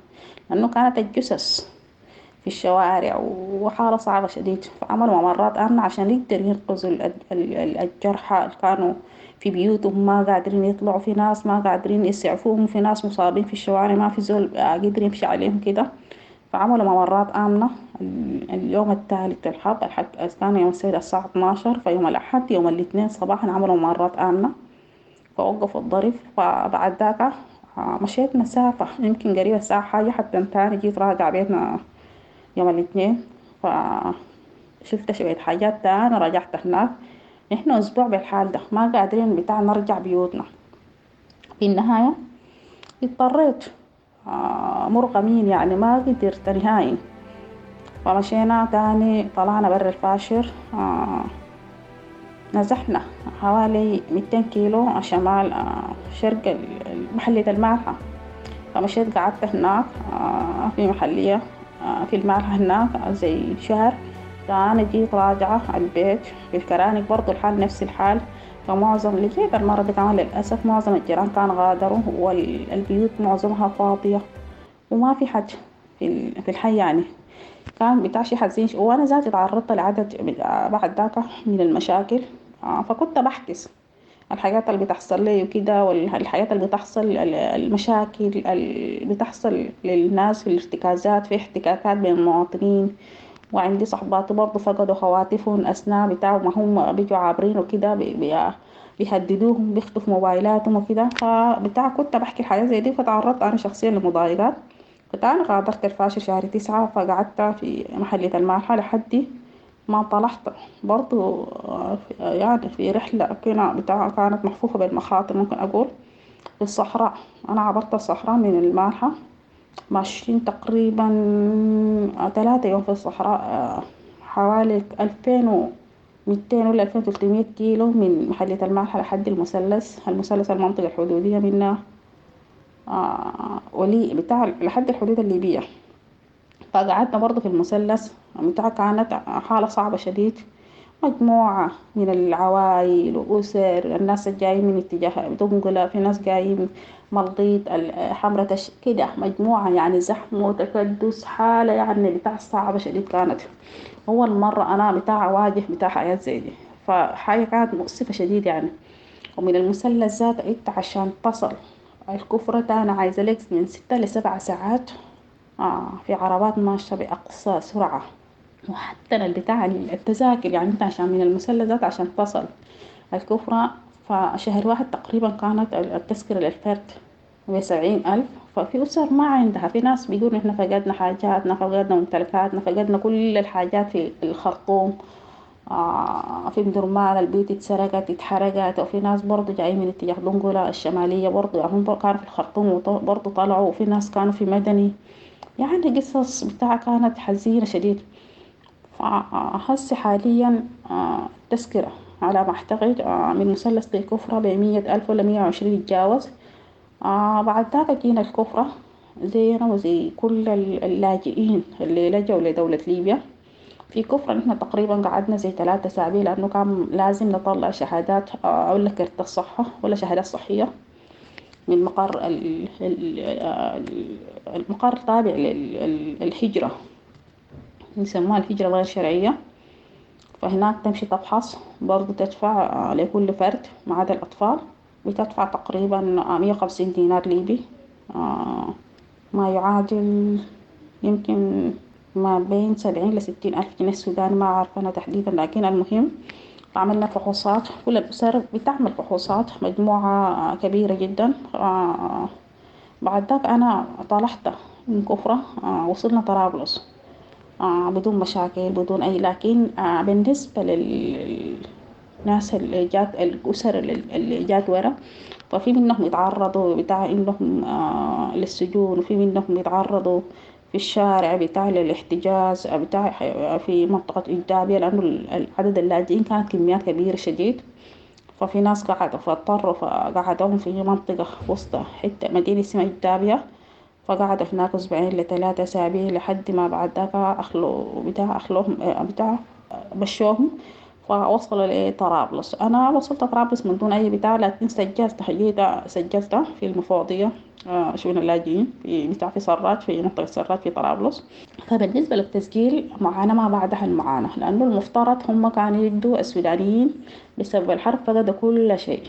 لأنه كانت الجثث في الشوارع وحالة صعبة شديد، فعملوا ممرات آمنة عشان يقدروا ينقذوا الجرحى اللي كانوا في بيوتهم ما قادرين يطلعوا، في ناس ما قادرين يسعفوهم، في ناس مصابين في الشوارع ما في زول قدر يمشي عليهم كده، فعملوا ممرات آمنة. اليوم الثالث الحرب كان يوم السبت الساعة 12، فيوم الأحد يوم الاثنين صباحا عملوا ممرات آمنة فوقفوا الضرب. فبعد ذاك مشيت مسافة يمكن قريبة الساعة حاجة حتى تاني جيت راجع بيتنا يوم الاثنين، فشفت شوية حاجات تاني رجعت هناك. نحن أسبوع بالحال ده ما قادرين بتاع نرجع بيوتنا. في النهاية اضطريت مرغمين يعني ما قدرت نهائي. فمشينا تاني طلعنا برا الفاشر، نزحنا حوالي 200 كيلو شمال شرق محلية المالحة. فمشيت قعدت هناك في محلية في المالحة هناك زي شهر. تاني جيت راجعة البيت في الكرانك برضو الحال نفس الحال. فمعظم اللي جيت المرة دي كمان للأسف معظم الجيران كان غادروا والبيوت معظمها فاضية وما في حد في الحي يعني، كان بتاع شي حزين. وأنا ذاتي تعرضت لعدد بعد ذاك من المشاكل، فكنت بحكس الحاجات اللي بتحصل لي وكده، والحاجات اللي بتحصل المشاكل اللي بتحصل للناس في الارتكازات، في احتكاكات بين المواطنين. وعندي صحباتي برضو فقدوا خواتفهم أثناء بتاع ما هم بيجوا عابرين وكده، بيهددوهم بيخطفوا موبايلاتهم وكده. فبتاع كنت بحكي الحاجات زي دي، فتعرضت أنا شخصيا لمضايقات. فأنا غادرت الفاشر شهر 9، فقعدت في محلية المالحة لحد ما طلعت برضو يعني في رحلة كنا بتاع كانت محفوفة بالمخاطر ممكن أقول في الصحراء. أنا عبرت الصحراء من المالحة ماشيين تقريبا 3 يوم في الصحراء، حوالي 2200 ولا 2300 كيلو من محلية المالحة لحد المثلث، المثلث المنطقة الحدودية منها ولي بتاع لحد الحدود الليبية. فقعدنا برضو في المثلث بتاع كانت حالة صعبة شديد. مجموعة من العوائل وأسر، الناس الجايين من اتجاه دنقلة، في ناس جايين ملقيط، حمرة كده، مجموعة يعني زحمة وتكدس، حالة يعني بتاع صعبة شديد كانت. أول مرة أنا بتاع أواجه بتاع حياة زي دي، فحاجة كانت مؤسفة شديد يعني. ومن المثلث ذاته انت عشان تصل الكفرة تاني عايزة لك من 6 ل7 ساعات، في عربات ماشية بأقصى سرعة. وحتى البتاع التذاكر يعني انت عشان من المثلث ذاته عشان تصل الكفرة، فشهر واحد تقريبا كانت التذكرة للفرد ب70,000. ففي أسر ما عندها، في ناس بيقولوا إحنا فقدنا حاجاتنا، فقدنا ممتلكاتنا، فقدنا كل الحاجات في الخرطوم، في مدرمان البيوت اتسرقت اتحرقت. وفي ناس برضو جايين من اتجاه دنقلة الشمالية برضو، يعني هم كانوا في الخرطوم برضو طلعوا، وفي ناس كانوا في مدني، يعني قصص بتاع كانت حزينة شديد. فهسي حاليا التذكرة على ما أعتقد من مثلث للكفرة ب100,000 ولا 120 يتجاوز. بعد ذاك جينا الكفرة زينا وزي كل اللاجئين اللي لجوا لدولة ليبيا. في كفرة نحن تقريبا قعدنا زي 3 أسابيع، لأنه كان لازم نطلع شهادات، ولا كرت الصحة ولا شهادات صحية من مقر المقر تابع للهجرة، يسموها الهجرة الغير شرعية. فهناك تمشي تفحص برضو، تدفع لكل فرد ما عدا الأطفال، بتدفع تقريبا 150 دينار ليبي، ما يعادل يمكن ما بين 70 لستين ألف جنيه سوداني، ما عارفة أنا تحديدا. لكن المهم عملنا فحوصات، كل الأسر بتعمل فحوصات، مجموعة كبيرة جدا. بعد ذاك أنا طلعت من كفرة، وصلنا طرابلس، بدون مشاكل بدون أي، لكن بالنسبة للناس اللي جات، الأسر اللي جات ورا، ففي منهم يتعرضوا بتاع إنهم للسجون، وفي منهم يتعرضوا في الشارع بتاع للاحتجاز بتاع في منطقة إجدابية، لأنه عدد اللاجئين كانت كميات كبيرة شديد. ففي ناس قعدوا فاضطروا فقعدوهم في منطقة وسط حتة مدينة اسمها إجدابية، فقعدوا هناك أسبوعين ل3 أسابيع لحد ما بعد ذاك أخلوا بتاع أخلوهم بتاع مشوهم، فوصلوا لطرابلس. أنا وصلت طرابلس من دون أي بتاع، لكن سجلت حقيقة، سجلت في المفوضية، شؤون اللاجئين في بتاع في سراج، في منطقة سراج في طرابلس. فبالنسبة للتسجيل معاناة ما بعدها المعاناة، لأنه المفترض هم كانوا يدوا السودانيين بسبب الحرب فقدوا كل شيء،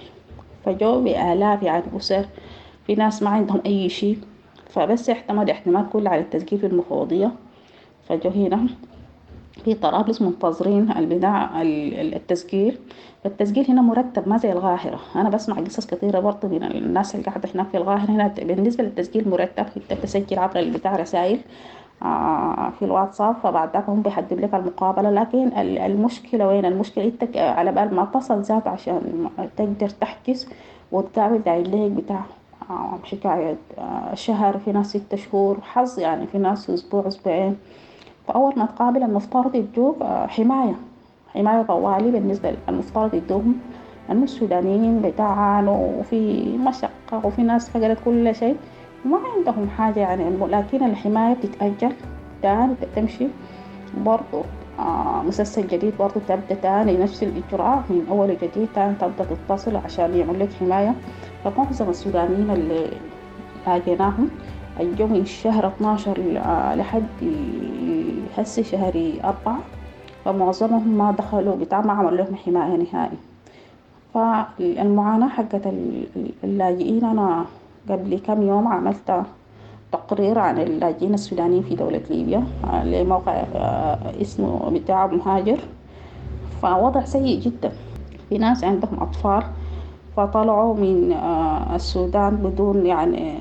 فجوا بآلاف يعني أسر، في ناس ما عندهم أي شيء، فبس اعتمد اعتماد كله على التسجيل في المفوضية. فجوا هنا في طرابلس منتظرين البداع التسجيل. فالتسجيل هنا مرتب ما زي القاهرة، أنا بسمع قصص كثيرة برضه من الناس اللي قاعدة هناك في القاهرة. هنا بالنسبة للتسجيل مرتب، أنت بتسجل عبر البتاع رسائل في الواتساب، فبعد ذاك هم بيحدد لك المقابلة. لكن المشكلة وين؟ المشكلة أنت على بال ما تصل ذات عشان تقدر تحجز وتقابل داير لك بتاع حكاية شهر، في ناس 6 شهور حظ يعني، في ناس أسبوع أسبوعين. فأول ما تقابل المفترض يدوك حماية طوالي. بالنسبة للمفترض يدوهم، لأنه السودانيين بتعانوا وفي مشقة وفي ناس فقدت كل شيء وما عندهم حاجة يعني، لكن الحماية بتتأجل تاني، تمشي برضو مسلسل جديد برضو تبدأ تاني نفس الإجراء من أول وجديد، تاني تبدأ تتصل عشان يعمل لك حماية. فمعظم السودانيين اللي لاقيناهم الجو من شهر 12 لحد هسي شهر 4، فمعظمهم ما دخلوا بتاع، ما عملوا لهم حماية نهائي. فالمعاناة حقت اللاجئين، أنا قبل كم يوم عملت تقرير عن اللاجئين السودانيين في دولة ليبيا لموقع اسمه بتاع مهاجر، فوضع سيء جدا. في ناس عندهم أطفال فطلعوا من السودان بدون يعني،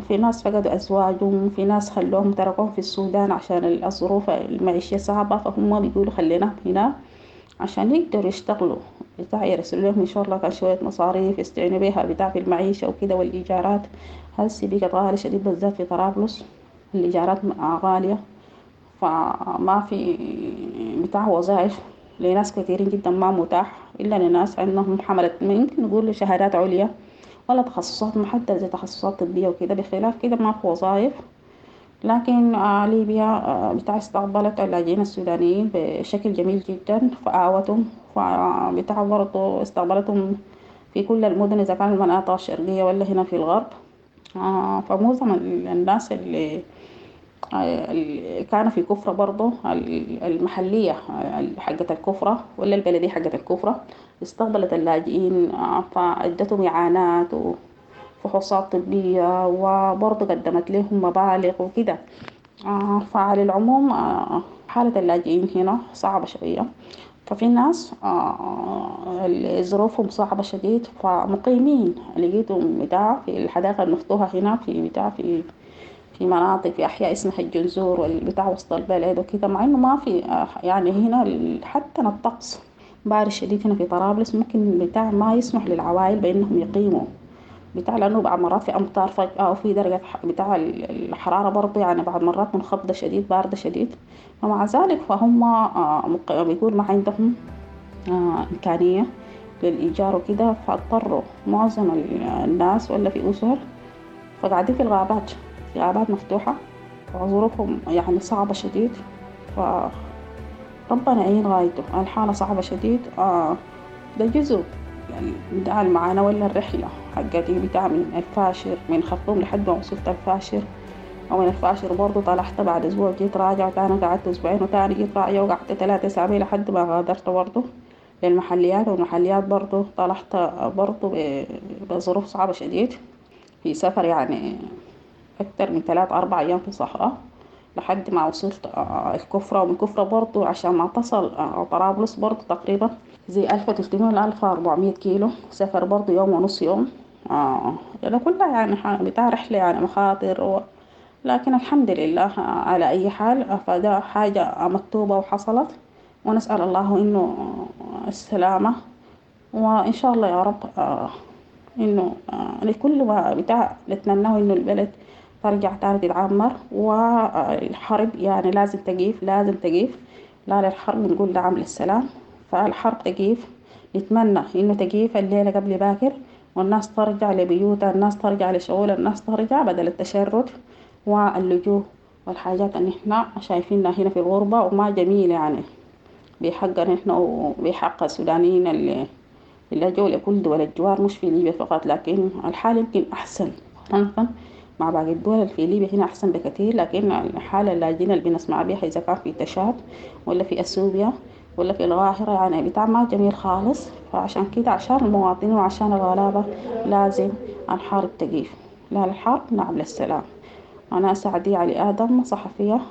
في ناس فقدوا أزواجهم، في ناس خلوهم تركوهم في السودان عشان الظروف المعيشية صعبة، فهم بيقولوا خليناهم هنا عشان يقدروا يشتغلوا بتاع، يرسلوا لهم إن شاء الله كان شوية مصاريف يستعينوا بيها بتاع في المعيشة وكده. والإيجارات هسي بقت غالية شديد، بالذات في طرابلس الإيجارات غالية، فما في بتاع وظائف لناس كثيرين جدا، ما متاح إلا لناس عندهم حملة يمكن نقول شهادات عليا ولا تخصصات محددة زي تخصصات طبية وكده، بخلاف كده ما في وظائف. لكن ليبيا بتاع استقبلت اللاجئين السودانيين بشكل جميل جدا، فآوتهم، فبتاع برضو استقبلتهم في كل المدن إذا كان المناطق الشرقية ولا هنا في الغرب. فمعظم الناس اللي كانوا في كفرة برضو المحلية حقة الكفرة ولا البلدية حقة الكفرة استقبلت اللاجئين، فأدتهم إعانات وفحوصات طبية وبرضو قدمت لهم مبالغ وكده. فعلى العموم حالة اللاجئين هنا صعبة شوية، ففي ناس اللي ظروفهم صعبة شديد فمقيمين لقيتهم بتاع في الحدائق المفتوحة هنا في بتاع في مناطق في أحياء اسمها الجنزور والبتاع وسط البلد وكده، مع إنه ما في يعني هنا حتى الطقس بارد شديد هنا في طرابلس، ممكن بتاع ما يسمح للعوائل بأنهم يقيموا بتاع، لأنه بعض مرات في أمطار فجأة وفي درجة بتاع الحرارة برضه يعني بعض مرات منخفضة شديد باردة شديد، ومع ذلك فهم بيقول ما عندهم إمكانية للإيجار وكده، فاضطروا معظم الناس ولا في أسر فقاعدين في الغابات، في غابات مفتوحة وظروفهم يعني صعبة شديد، فربنا يعين غايته، الحالة صعبة شديد. ده جزء يعني بتاع المعاناة ولا الرحلة حقتي بتاع من الفاشر من خرطوم لحد ما وصلت الفاشر، ومن الفاشر برضو طلعت بعد أسبوع جيت راجعة، وتاني قعدت أسبوعين، وتاني جيت راجعة وقعدت 3 أسابيع لحد ما غادرت برضو للمحليات، والمحليات برضو طلعت برضو بظروف صعبة شديد في سفر يعني أكتر من 3-4 أيام في الصحراء لحد ما وصلت الكفرة، ومن الكفرة برضو عشان ما تصل طرابلس برضو تقريبا زي 1300 ل 1400 كيلو سفر برضو يوم ونص يوم. ده كلها يعني بتاع رحلة يعني مخاطر لكن الحمد لله على أي حال، فده حاجة مكتوبة وحصلت، ونسأل الله إنه السلامة، وإن شاء الله يا رب إنه لكل ما بتاع نتمناه إنه البلد ترجع تاني تتعمر، والحرب يعني لازم تقيف، لازم تقيف، لا للحرب نقول نعم للسلام، فالحرب تقيف، نتمنى إنه تقيف الليلة قبل باكر، والناس ترجع لبيوتها، الناس ترجع لشغلها، الناس ترجع بدل التشرد واللجوء والحاجات اللي احنا شايفينها هنا في الغربة وما جميلة يعني بحقنا احنا وبحق السودانيين اللي لجوا لكل دول الجوار، مش في ليبيا فقط، لكن الحال يمكن أحسن مقارنة مع باقي الدول. في ليبيا هنا أحسن بكثير، لكن الحالة اللاجئين اللي بنسمع بها إذا كان في تشاد ولا في أثيوبيا ولا في القاهرة يعني بتاع ما جميل خالص. فعشان كده عشان المواطنين وعشان الغلابة لازم الحرب تقيف، لا للحرب نعم للسلام. أنا سعدي علي آدم، صحفية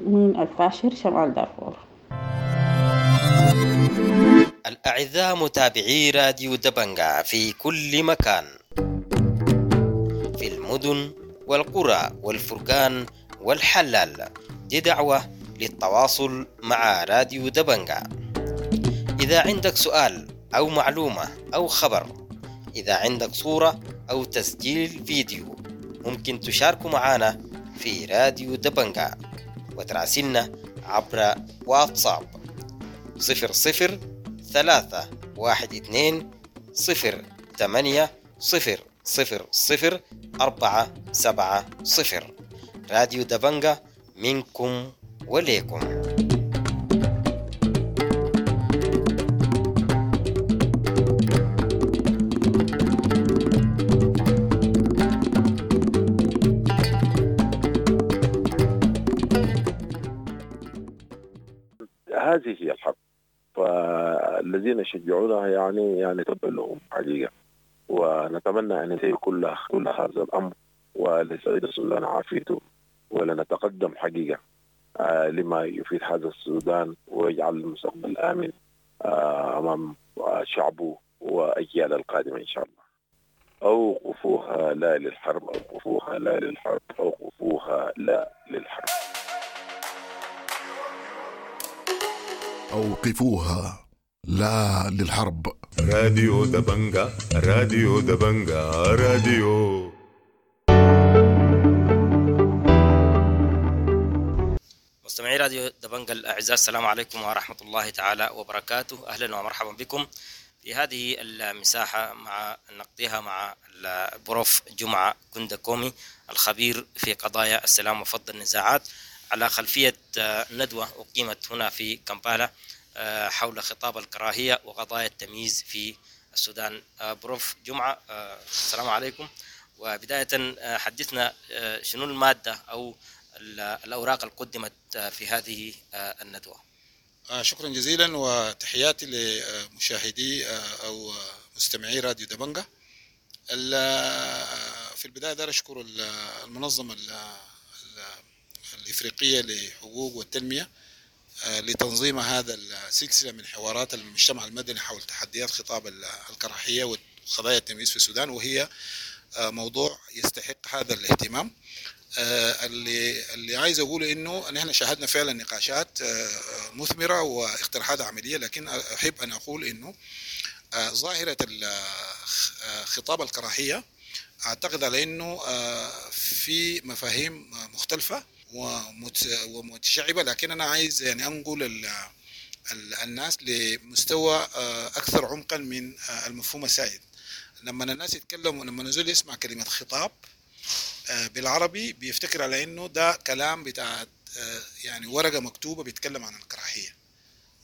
من الفاشر شمال دارفور. الأعزاء متابعي راديو دبنجا في كل مكان، في المدن والقرى والفرقان والحلال، دي دعوة للتواصل مع راديو دبنجا. إذا عندك سؤال أو معلومة أو خبر، إذا عندك صورة أو تسجيل فيديو، ممكن تشاركوا معنا في راديو دبنجا وتراسلنا عبر واتساب 00 3 1 2 0 8 0 0 0 4 7 0. راديو دبنجا منكم وليكم. هذه هي الحرب، فالذين يشجعونها يعني تبا لهم حقيقة، ونتمنى أن ينتهي كل هذا الأمر، ولسعيد السودان عافيته، ولنتقدم حقيقة لما يفيد هذا السودان ويجعل المستقبل آمن أمام شعبه وأجيال القادمة إن شاء الله. أوقفوها لا للحرب، أوقفوها لا للحرب، أوقفوها لا للحرب. أوقفوها لا للحرب. راديو دبنجا، راديو دبنجا، راديو. مستمعي راديو دبنجا الأعزاء، السلام عليكم ورحمة الله تعالى وبركاته. أهلا ومرحبا بكم في هذه المساحة مع نقضيها مع البروف جمعة كندكومي الخبير في قضايا السلام وفض النزاعات، على خلفية ندوة أقيمت هنا في كامبالا حول خطاب الكراهية وقضايا التمييز في السودان. بروف جمعة، السلام عليكم. وبداية حدثنا شنو المادة أو الأوراق اللي قدمت في هذه الندوة. شكرا جزيلا، وتحياتي لمشاهدي أو مستمعي راديو دبنجة. في البداية دار أشكر المنظمة الإفريقية لحقوق والتنمية لتنظيم هذا السلسلة من حوارات المجتمع المدني حول تحديات خطاب الكراهية وقضايا التمييز في السودان، وهي موضوع يستحق هذا الاهتمام. اللي عايز أقوله إنه نحن شاهدنا فعلا نقاشات مثمرة واقتراحات عملية، لكن أحب أن أقول إنه ظاهرة خطاب الكراهية أعتقد على إنه في مفاهيم مختلفة ومتشعبة، لكن أنا عايز يعني أنقل الناس لمستوى أكثر عمقا من المفهوم السائد. لما الناس يتكلموا، لما نزول يسمع كلمة خطاب بالعربي بيفتكر على إنه ده كلام بتاع يعني ورقة مكتوبة بيتكلم عن الكراهية،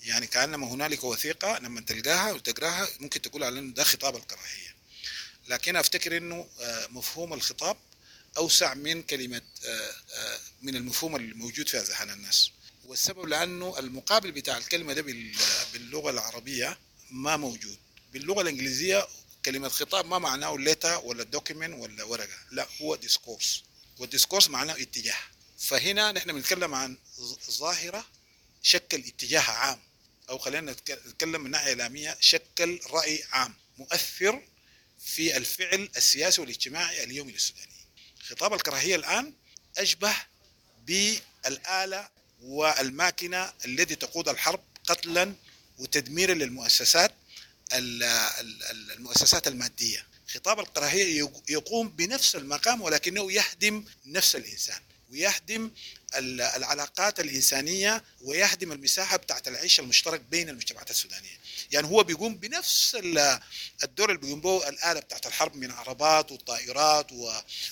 يعني كأنما هنالك وثيقة لما تلقاها وتقراها ممكن تقول على إنه ده خطاب الكراهية. لكن أفتكر إنه مفهوم الخطاب أوسع من كلمة من المفهوم الموجود في أذهان الناس، والسبب لأنه المقابل بتاع الكلمة ده باللغة العربية ما موجود. باللغة الإنجليزية كلمة خطاب ما معناه letter ولا document ولا ورقة، لا، هو discourse، وال discourse معناه اتجاه. فهنا نحن بنتكلم عن ظاهرة شكل اتجاه عام، أو خلينا نتكلم من ناحية إعلامية شكل رأي عام مؤثر في الفعل السياسي والاجتماعي اليومي للسودانيين. خطاب الكراهية الآن أشبه بالآلة والماكنة التي تقود الحرب قتلا وتدميرا للمؤسسات المؤسسات المادية. خطاب الكراهية يقوم بنفس المقام، ولكنه يهدم نفس الإنسان ويهدم العلاقات الإنسانية ويهدم المساحة بتاعت العيش المشترك بين المجتمعات السودانية. يعني هو بيقوم بنفس الدور اللي بيقوم به الآلة بتاعت الحرب من عربات وطائرات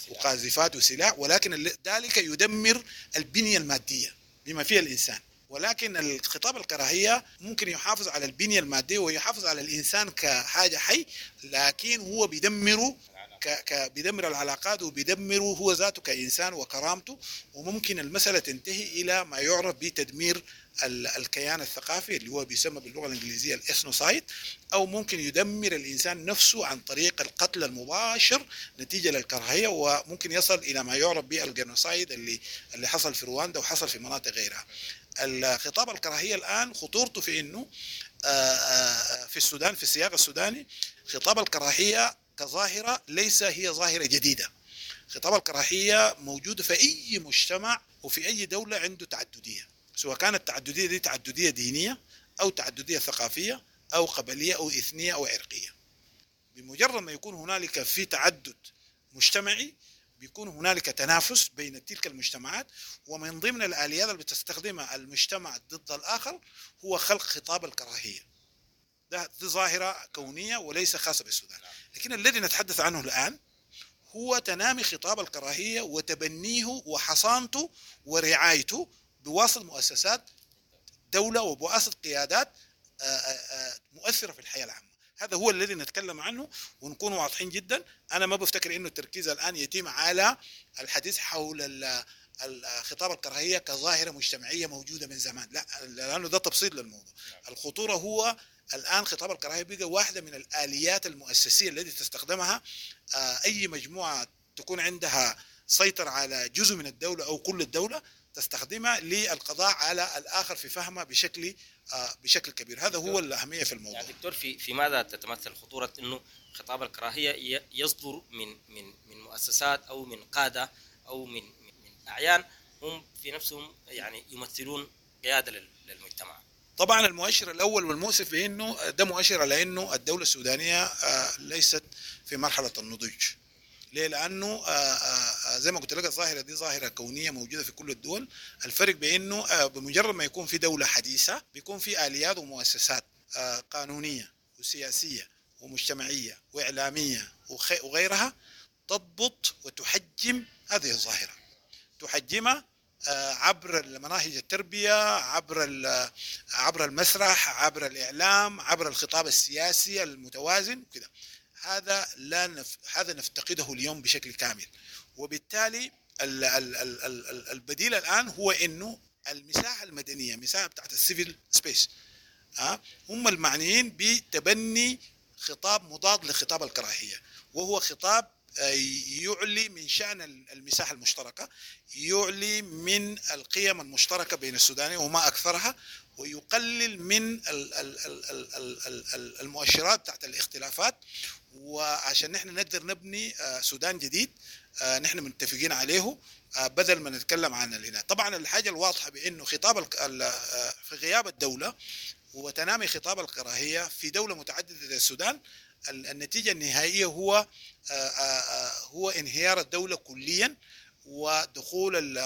وقاذفات وسلاح، ولكن ذلك يدمر البنية المادية بما فيها الإنسان. ولكن الخطاب الكراهية ممكن يحافظ على البنية المادية ويحافظ على الإنسان كحاجة حي، لكن هو بيدمره بيدمر العلاقات وبيدمره هو ذاته كإنسان وكرامته، وممكن المسألة تنتهي إلى ما يعرف بتدمير الكيان الثقافي اللي هو بيسمى باللغة الإنجليزية ال ethnocide، أو ممكن يدمر الإنسان نفسه عن طريق القتل المباشر نتيجة للكراهية، وممكن يصل إلى ما يعرف بال genocide اللي حصل في رواندا وحصل في مناطق غيرها. الخطاب الكراهية الآن خطورته في إنه في السودان، في السياق السوداني، خطاب الكراهية كظاهرة ليس هي ظاهرة جديدة. خطاب الكراهية موجود في أي مجتمع وفي أي دولة عنده تعددية، سواء كانت التعددية دي تعددية دينية أو تعددية ثقافية أو قبلية أو إثنية أو عرقية. بمجرد ما يكون هنالك في تعدد مجتمعي بيكون هنالك تنافس بين تلك المجتمعات، ومن ضمن الآليات اللي بتستخدمها المجتمع ضد الآخر هو خلق خطاب الكراهية. ده ظاهرة كونية وليس خاصة بالسودان. لكن الذي نتحدث عنه الآن هو تنامي خطاب الكراهية وتبنيه وحصانته ورعايته بواسطة مؤسسات دولة وبواسطة قيادات مؤثرة في الحياة العامة. هذا هو الذي نتكلم عنه ونكون واضحين جدا. أنا ما بفتكر إنه التركيز الآن يتم على الحديث حول خطاب الكراهية كظاهرة مجتمعية موجودة من زمان، لا، لأنه ده تبسيط للموضوع. الخطورة هو الآن خطاب الكراهية بقى واحدة من الآليات المؤسسية التي تستخدمها أي مجموعة تكون عندها سيطرة على جزء من الدولة أو كل الدولة، تستخدمها للقضاء على الآخر في فهمه بشكل كبير. هذا هو الأهمية في الموضوع. يعني دكتور، في ماذا تتمثل خطورة إنه خطاب الكراهية يصدر من من من مؤسسات أو من قادة أو من أعيان هم في نفسهم يعني يمثلون قيادة للمجتمع؟ طبعا المؤشر الأول والمؤسف بأنه ده مؤشر على أنه الدولة السودانية ليست في مرحلة النضوج. ليه؟ لأنه زي ما قلت لك الظاهرة دي ظاهرة كونية موجودة في كل الدول. الفرق بأنه بمجرد ما يكون في دولة حديثة بيكون في آليات ومؤسسات قانونية وسياسية ومجتمعية وإعلامية وغيرها تضبط وتحجم هذه الظاهرة، تحجمها عبر مناهج التربية، عبر المسرح، عبر الإعلام، عبر الخطاب السياسي المتوازن كده. هذا لا هذا نفتقده اليوم بشكل كامل، وبالتالي البديل الآن هو إنه المساحة المدنية، مساحة بتاعت ال civil space، هم المعنيين بتبني خطاب مضاد لخطاب الكراهية، وهو خطاب يعلي من شأن المساحة المشتركة، يعلي من القيم المشتركة بين السودانيين وما أكثرها، ويقلل من المؤشرات تحت الاختلافات. وعشان نحن نقدر نبني سودان جديد نحن متفقين عليه، بدل ما نتكلم عن الهنا. طبعا الحاجة الواضحة بأنه خطاب في غياب الدولة وتنامي خطاب الكراهية في دولة متعددة زي السودان، النتيجة النهائية هو انهيار الدولة كليا، ودخول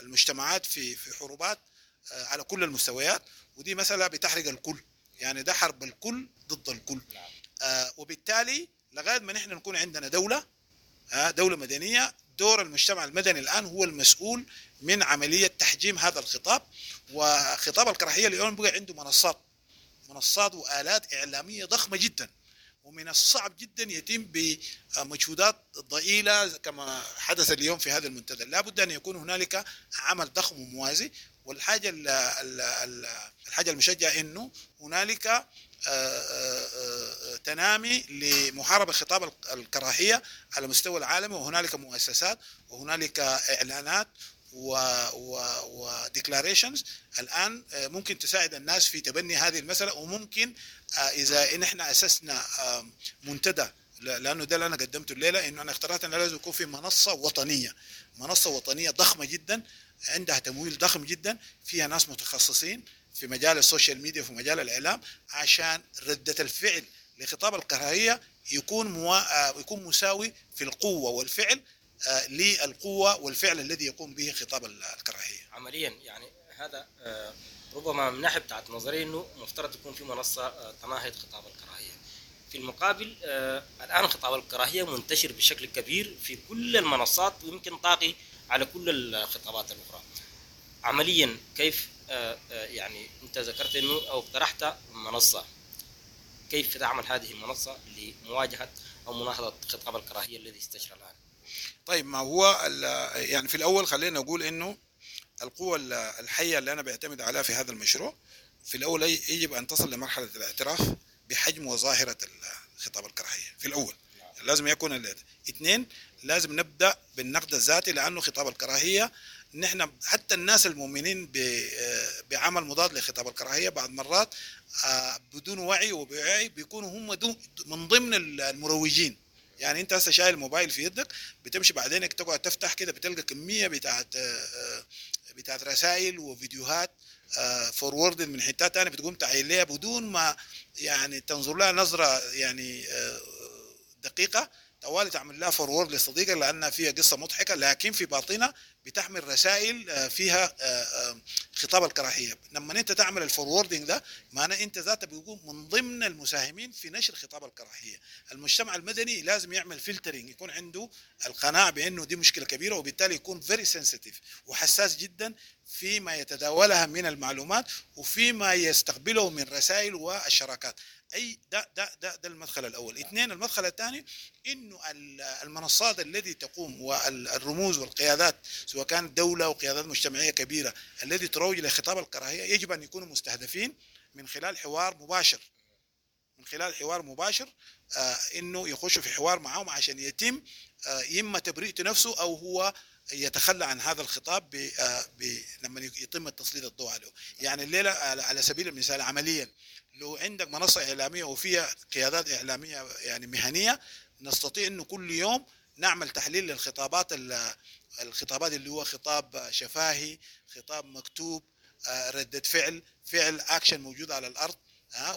المجتمعات في حروبات على كل المستويات، ودي مسألة بتحرق الكل، يعني ده حرب الكل ضد الكل. وبالتالي لغاية ما نحن نكون عندنا دولة مدنية، دور المجتمع المدني الآن هو المسؤول من عملية تحجيم هذا الخطاب. وخطاب الكراهية اليوم بقى عنده منصات وآلات إعلامية ضخمة جدا، ومن الصعب جدا يتم بمجهودات ضئيلة كما حدث اليوم في هذا المنتدى. لا بد أن يكون هنالك عمل ضخم وموازي. والحاجة الحاجة المشجعة إنه هنالك تنامي لمحاربة خطاب الكراهية على مستوى العالم، وهنالك مؤسسات وهنالك إعلانات و declarations الآن ممكن تساعد الناس في تبني هذه المسألة. وممكن إذا إن إحنا أسسنا منتدى، لأنه ده اللي أنا قدمته الليلة، إنه أنا اخترت أنه لازم يكون في منصة وطنية ضخمة جدا، عندها تمويل ضخم جدا، فيها ناس متخصصين في مجال ال social media وفي مجال الإعلام، عشان ردة الفعل لخطاب الكراهية يكون مساوي في القوة والفعل للقوة والفعل الذي يقوم به خطاب الكراهية عمليا. يعني هذا ربما من ناحية بتاعت نظري إنه مفترض يكون في منصة تناهض خطاب الكراهية. في المقابل الآن خطاب الكراهية منتشر بشكل كبير في كل المنصات، ويمكن طاقي على كل الخطابات الأخرى. عمليا كيف يعني أنت ذكرت إنه أو اقترحت منصة، كيف تعمل هذه المنصة لمواجهة أو مناهضة خطاب الكراهية الذي استشرى الآن؟ طيب، ما هو يعني في الأول خلينا نقول إنه القوة الحية اللي أنا بعتمد عليها في هذا المشروع، في الأول يجب أن تصل لمرحلة الاعتراف بحجم وظاهرة خطاب الكراهية. في الأول لازم يكون اثنين، لازم نبدأ بالنقد الذاتي، لأنه خطاب الكراهية نحن حتى الناس المؤمنين بعمل مضاد لخطاب الكراهية بعض مرات بدون وعي وبوعي بيكونوا هم من ضمن المروجين. يعني انت هسه شايل الموبايل في يدك، بتمشي بعدين تقعد تفتح كده، بتلقى كمية بتاعت رسائل وفيديوهات forward من حتات تانية، بتقوم تعين لها بدون ما يعني تنظر لها نظرة يعني دقيقة، طوالي تعمل لها forward لصديقك لأنها فيها قصة مضحكة، لكن في باطنة بتحمل رسائل فيها خطاب الكراهية. لما انت تعمل ال forwarding ده، معناه انت ذاتك بيكون من ضمن المساهمين في نشر خطاب الكراهية. المجتمع المدني لازم يعمل filtering، يكون عنده القناعة بأنه دي مشكلة كبيرة، وبالتالي يكون very sensitive وحساس جدا فيما يتداولها من المعلومات وفيما يستقبله من رسائل والشراكات. اي ده ده ده ده المدخل الاول. اثنين، المدخل الثاني انه المنصات التي تقوم والرموز والقيادات، سواء كانت دولة وقيادات مجتمعية كبيرة التي تروج لخطاب الكراهية، يجب ان يكونوا مستهدفين من خلال حوار مباشر، من خلال حوار مباشر انه يخشوا في حوار معهم عشان يتم اما تبرئة نفسه او هو يتخلى عن هذا الخطاب لما يتم التسليط الضوء عليه. يعني الليلة على سبيل المثال عمليا، لو عندك منصة إعلامية وفيها قيادات إعلامية يعني مهنية، نستطيع إنه كل يوم نعمل تحليل للخطابات، الخطابات اللي هو خطاب شفاهي، خطاب مكتوب، ردة فعل أكشن موجود على الأرض،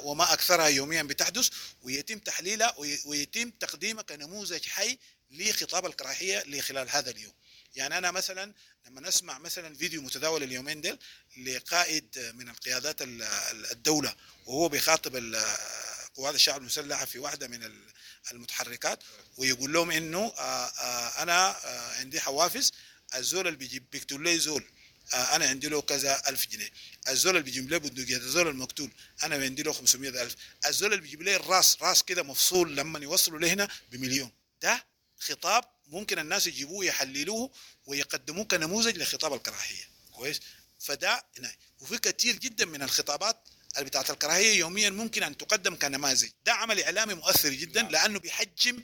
وما أكثرها يوميا بتحدث، ويتم تحليلها ويتم تقديمها كنموذج حي لخطاب الكراهية لخلال هذا اليوم. يعني أنا مثلا لما نسمع مثلا فيديو متداول اليومين ديل لقائد من القيادات الدولة وهو بيخاطب قوات الشعب المسلحة في واحدة من المتحركات، ويقول لهم انه انا عندي حوافز، الزول اللي بيجيب بيقتل لي زول انا عندي له كذا ألف جنيه، الزول اللي بيجيب لي بندقية الزول المقتول انا عندي له 500 ألف، الزول اللي بيجيب لي الراس راس كده مفصول لما يوصلوا لهنا بمليون. ده خطاب ممكن الناس يجيبوه يحللوه ويقدموه كنموذج لخطاب الكراهية. كويس؟ فده وفي كثير جدا من الخطابات اللي بتاعت الكراهية يوميا ممكن ان تقدم كنماذج. ده عمل اعلامي مؤثر جدا لانه بيحجم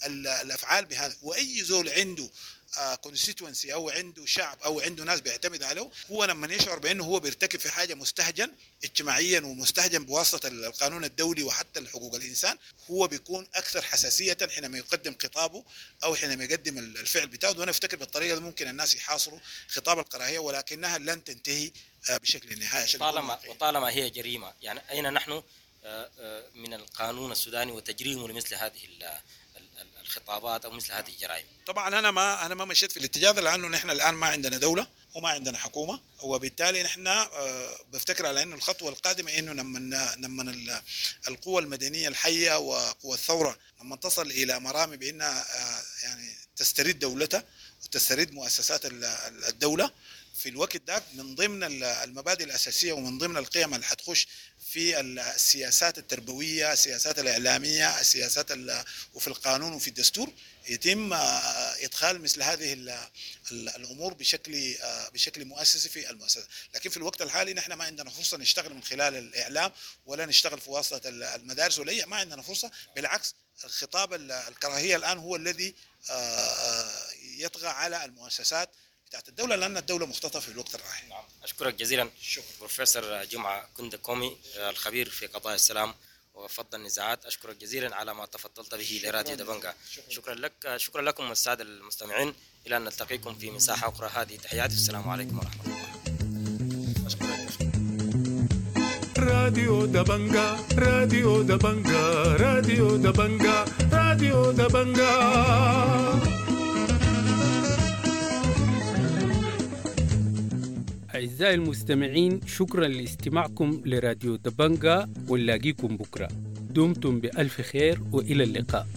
الافعال بهذا. واي زول عنده constituency او عنده شعب او عنده ناس بيعتمد عليه، هو لما يشعر بانه هو بيرتكب في حاجة مستهجن اجتماعيا ومستهجن بواسطة القانون الدولي وحتى حقوق الانسان، هو بيكون اكثر حساسية حينما يقدم خطابه او حينما يقدم الفعل بتاعه. وانا افتكر بالطريقة دي ممكن الناس يحاصروا خطاب الكراهية، ولكنها لن تنتهي بشكل نهائي. وطالما هي جريمة، يعني اين نحن من القانون السوداني وتجريمه لمثل هذه الخطابات او مثل هذه الجرائم؟ طبعا انا ما مشيت في الاتجاه ده، لانه نحن الان ما عندنا دولة وما عندنا حكومة، وبالتالي نحن بفتكر على انه الخطوة القادمة انه لما القوى المدنية الحية وقوى الثورة لما تصل الى مرامي بانها يعني تسترد دولتها وتسترد مؤسسات الدولة، في الوقت ده من ضمن المبادئ الاساسية ومن ضمن القيم اللي حتخش في السياسات التربوية، السياسات الاعلامية، السياسات وفي القانون وفي الدستور، يتم ادخال مثل هذه الامور بشكل مؤسسي في المؤسسة. لكن في الوقت الحالي نحن ما عندنا فرصة نشتغل من خلال الاعلام ولا نشتغل في واسطه المدارس ولا ما عندنا فرصة. بالعكس، الخطاب الكراهية الان هو الذي يطغى على المؤسسات بتاعت الدولة، لأن الدولة مختطفة في الوقت الراهن. نعم. أشكرك جزيلا. شكرا بروفيسور جمعة كندكومي، الخبير في قضايا السلام وفض النزاعات، أشكرك جزيلا على ما تفضلت به لراديو دبنجا. شكرا. شكرا لك، شكرا لكم السادة المستمعين، إلى أن نلتقيكم في مساحة أخرى، هذه تحياتي، السلام عليكم ورحمة الله. راديو دبنجا، راديو دبنجا، راديو دبنجا، راديو دبنجا. أعزائي المستمعين، شكرا لاستماعكم لراديو دبنجا، ونلاقيكم بكرة. دمتم بألف خير وإلى اللقاء.